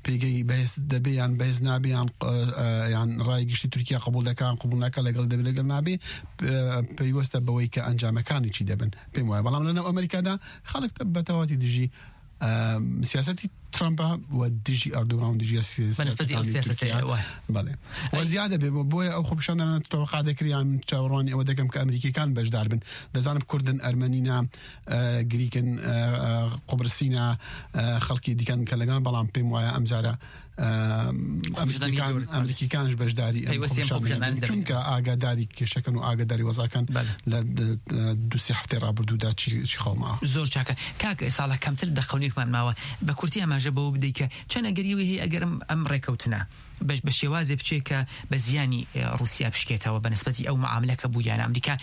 پێگەی بەهێز دەبێ یان بەهێز نابێ یان، ئە، یان ڕای گشتی تورکیا قبول دەکا یان قبول ناکا، لەگەڵ دەبێ لەگەڵ نابێ، ئە، پەیوەستە بەوەی کە ئەنجامەکانی چی دەبن. پێم وایە. بەڵام لەناو ئەمریکادا خەڵک بە تەواوەتی دژی، ئە، سیاسەتی ترامپە و دژی ئەردوگان و دژی سی-، بە نسبەتی ئەو سیاسەتەکانی سیاسەتەی تورکیا. وایە. بەڵێ. و ئەی زیادە بێ، بۆ، بۆیە ئەو خۆپیشاندانە تەوەقع دەکرێ، یان چاوەڕوانی ئەوە دەکەم کە ئەمریکیەکان بەشدار بن. دەزانم کوردن، ئەرمەنینە، ئە، گریکن، ئە، ئە، قوبرسینە، ئە، خەڵکی دیکەن کە لەگەڵ، بەڵام پێم وایە ئەم جارە، ئە، خۆپیشاندانی ئەمریکیەکان، گەورە. ئەمریکیەکانش بەشداری ئەم پەیوەستی ئەم خۆپیشاندانە خۆپیشاندانە دەبن. دەبن. چونکە ئاگاداری کێشەکەن و ئاگاداری وەزاکان بەڵێ. لە د-، د-، دوو سێ هەفتەی ڕابردوودا چی، چی خەڵ ماوە. زۆر چاکە. کاک ساڵح، کەمتر دەقەونێکمان ماوە. بە کورتی ئاماژە بەوە بدەی کە چەند ئەگەریەوەی هەیە ئەگەر ئەم، ئەم ڕێکەوتنە بە، بە شێوازێ بچێ کە بە زیانی، ئە، رووسیا بشکێتەوە بە نسبەتی ئەو معاملە کە بوو یان ئەمریکا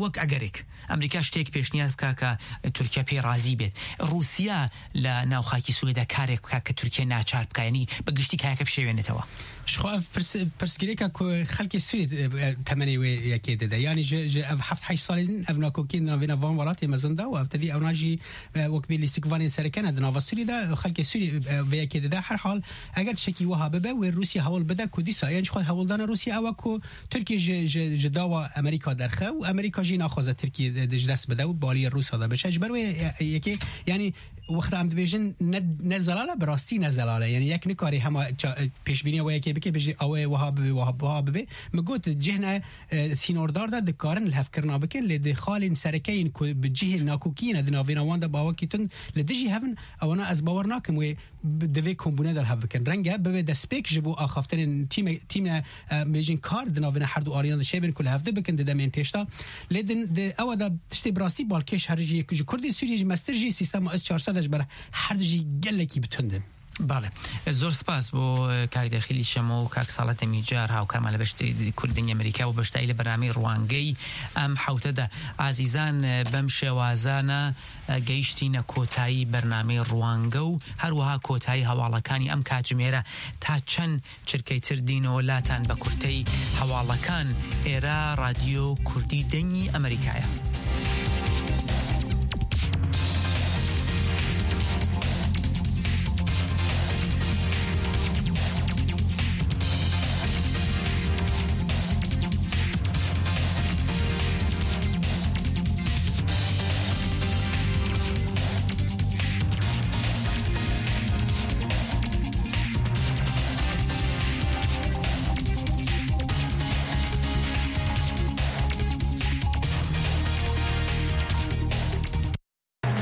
وەک ئەگەرێک ئەمریکا شتێک پێشنیار بکا کە تورکیا پێی ڕازی بێت. رووسیا لە ناو خاکی سوورێدا کارێک بکا کە تورکیا ناچار بکا، یعنی بە گشتی کایەکە بشێوێنێتەوە. Ji xwe ev pirs-, pirsgirêka ku xelkê Sûriyê, e, temenê wê yekê dide. Yanî ji, ji ev heft heşt salên ev nakokiyên navêna van welatê mezin da û ev tevî ewna jî, e, wek bê lîstikvanên sereke ne di nava Sûriyê de, xelkê Sûriyê, e, vê yekê dide. Her hal, eger tiştekî wiha bibe, wê Rûsya hewl bide ku dîsa, yan jixwe hewldana Rûsya ew e ku Tirkiye ji, ji, ji dawa Amerîka derxe û Amerîka jî naxwaze Tirkiye de, de ji dest bide û baliyê Rûsya de biçe. Ji ber wê, e, yekê, yanî, wexta em dibêjin ne, ne zelal e, bi rastî ne zelal e. Yanî yek nikare hema ça-, pêşbîniya wê yekê bike, bêje, "Ew ê wiha bibe, wiha, wiha bibe." Min got, cihne, e, sînordar de dikarin lihevkirina bikin, lê di xalên sereke yên ku bi cihên nakokiyê ne di navêna wan de bi awakî tund li dijî hev in, ewana ez bawer nakim wê bi, di vê kombûne de li hev bikin. Renge bibe destpêk ji bo axaftinên tîme-, tîme, e, bêjin kar di navêna her du aliyan de çêbin ku li hevdu bikin di demên pêş de. Lê din, di ewa de tiştê bi rastî balkêş her jî yek ji Kurdên Sûriyê jî mestir jî sîstema S çar sed e ji ber her du jî gelekî bi tund in. بەڵێ، زۆر سپاس بۆ کاک دەخیلی شەمە و کاک ساڵەتە میجار، هاوکارمان لە بەشتی کوردنی ئەمریکا و بەشداری لە بەرنامەی ڕوانگەی ئەم حوتەدا. ئازیزان، بەم شێوازانە گەیشتینە کۆتایی بەرنامەی ڕوانگە و هەروەها کۆتایی هەواڵەکانی ئەم کاتژمێرە. تا چەند چرکەی تر دینەوە لاتان، بە کورتەی هەواڵەکان. ئێرە ڕادیۆ کوردی دەنگی ئەمریکایە.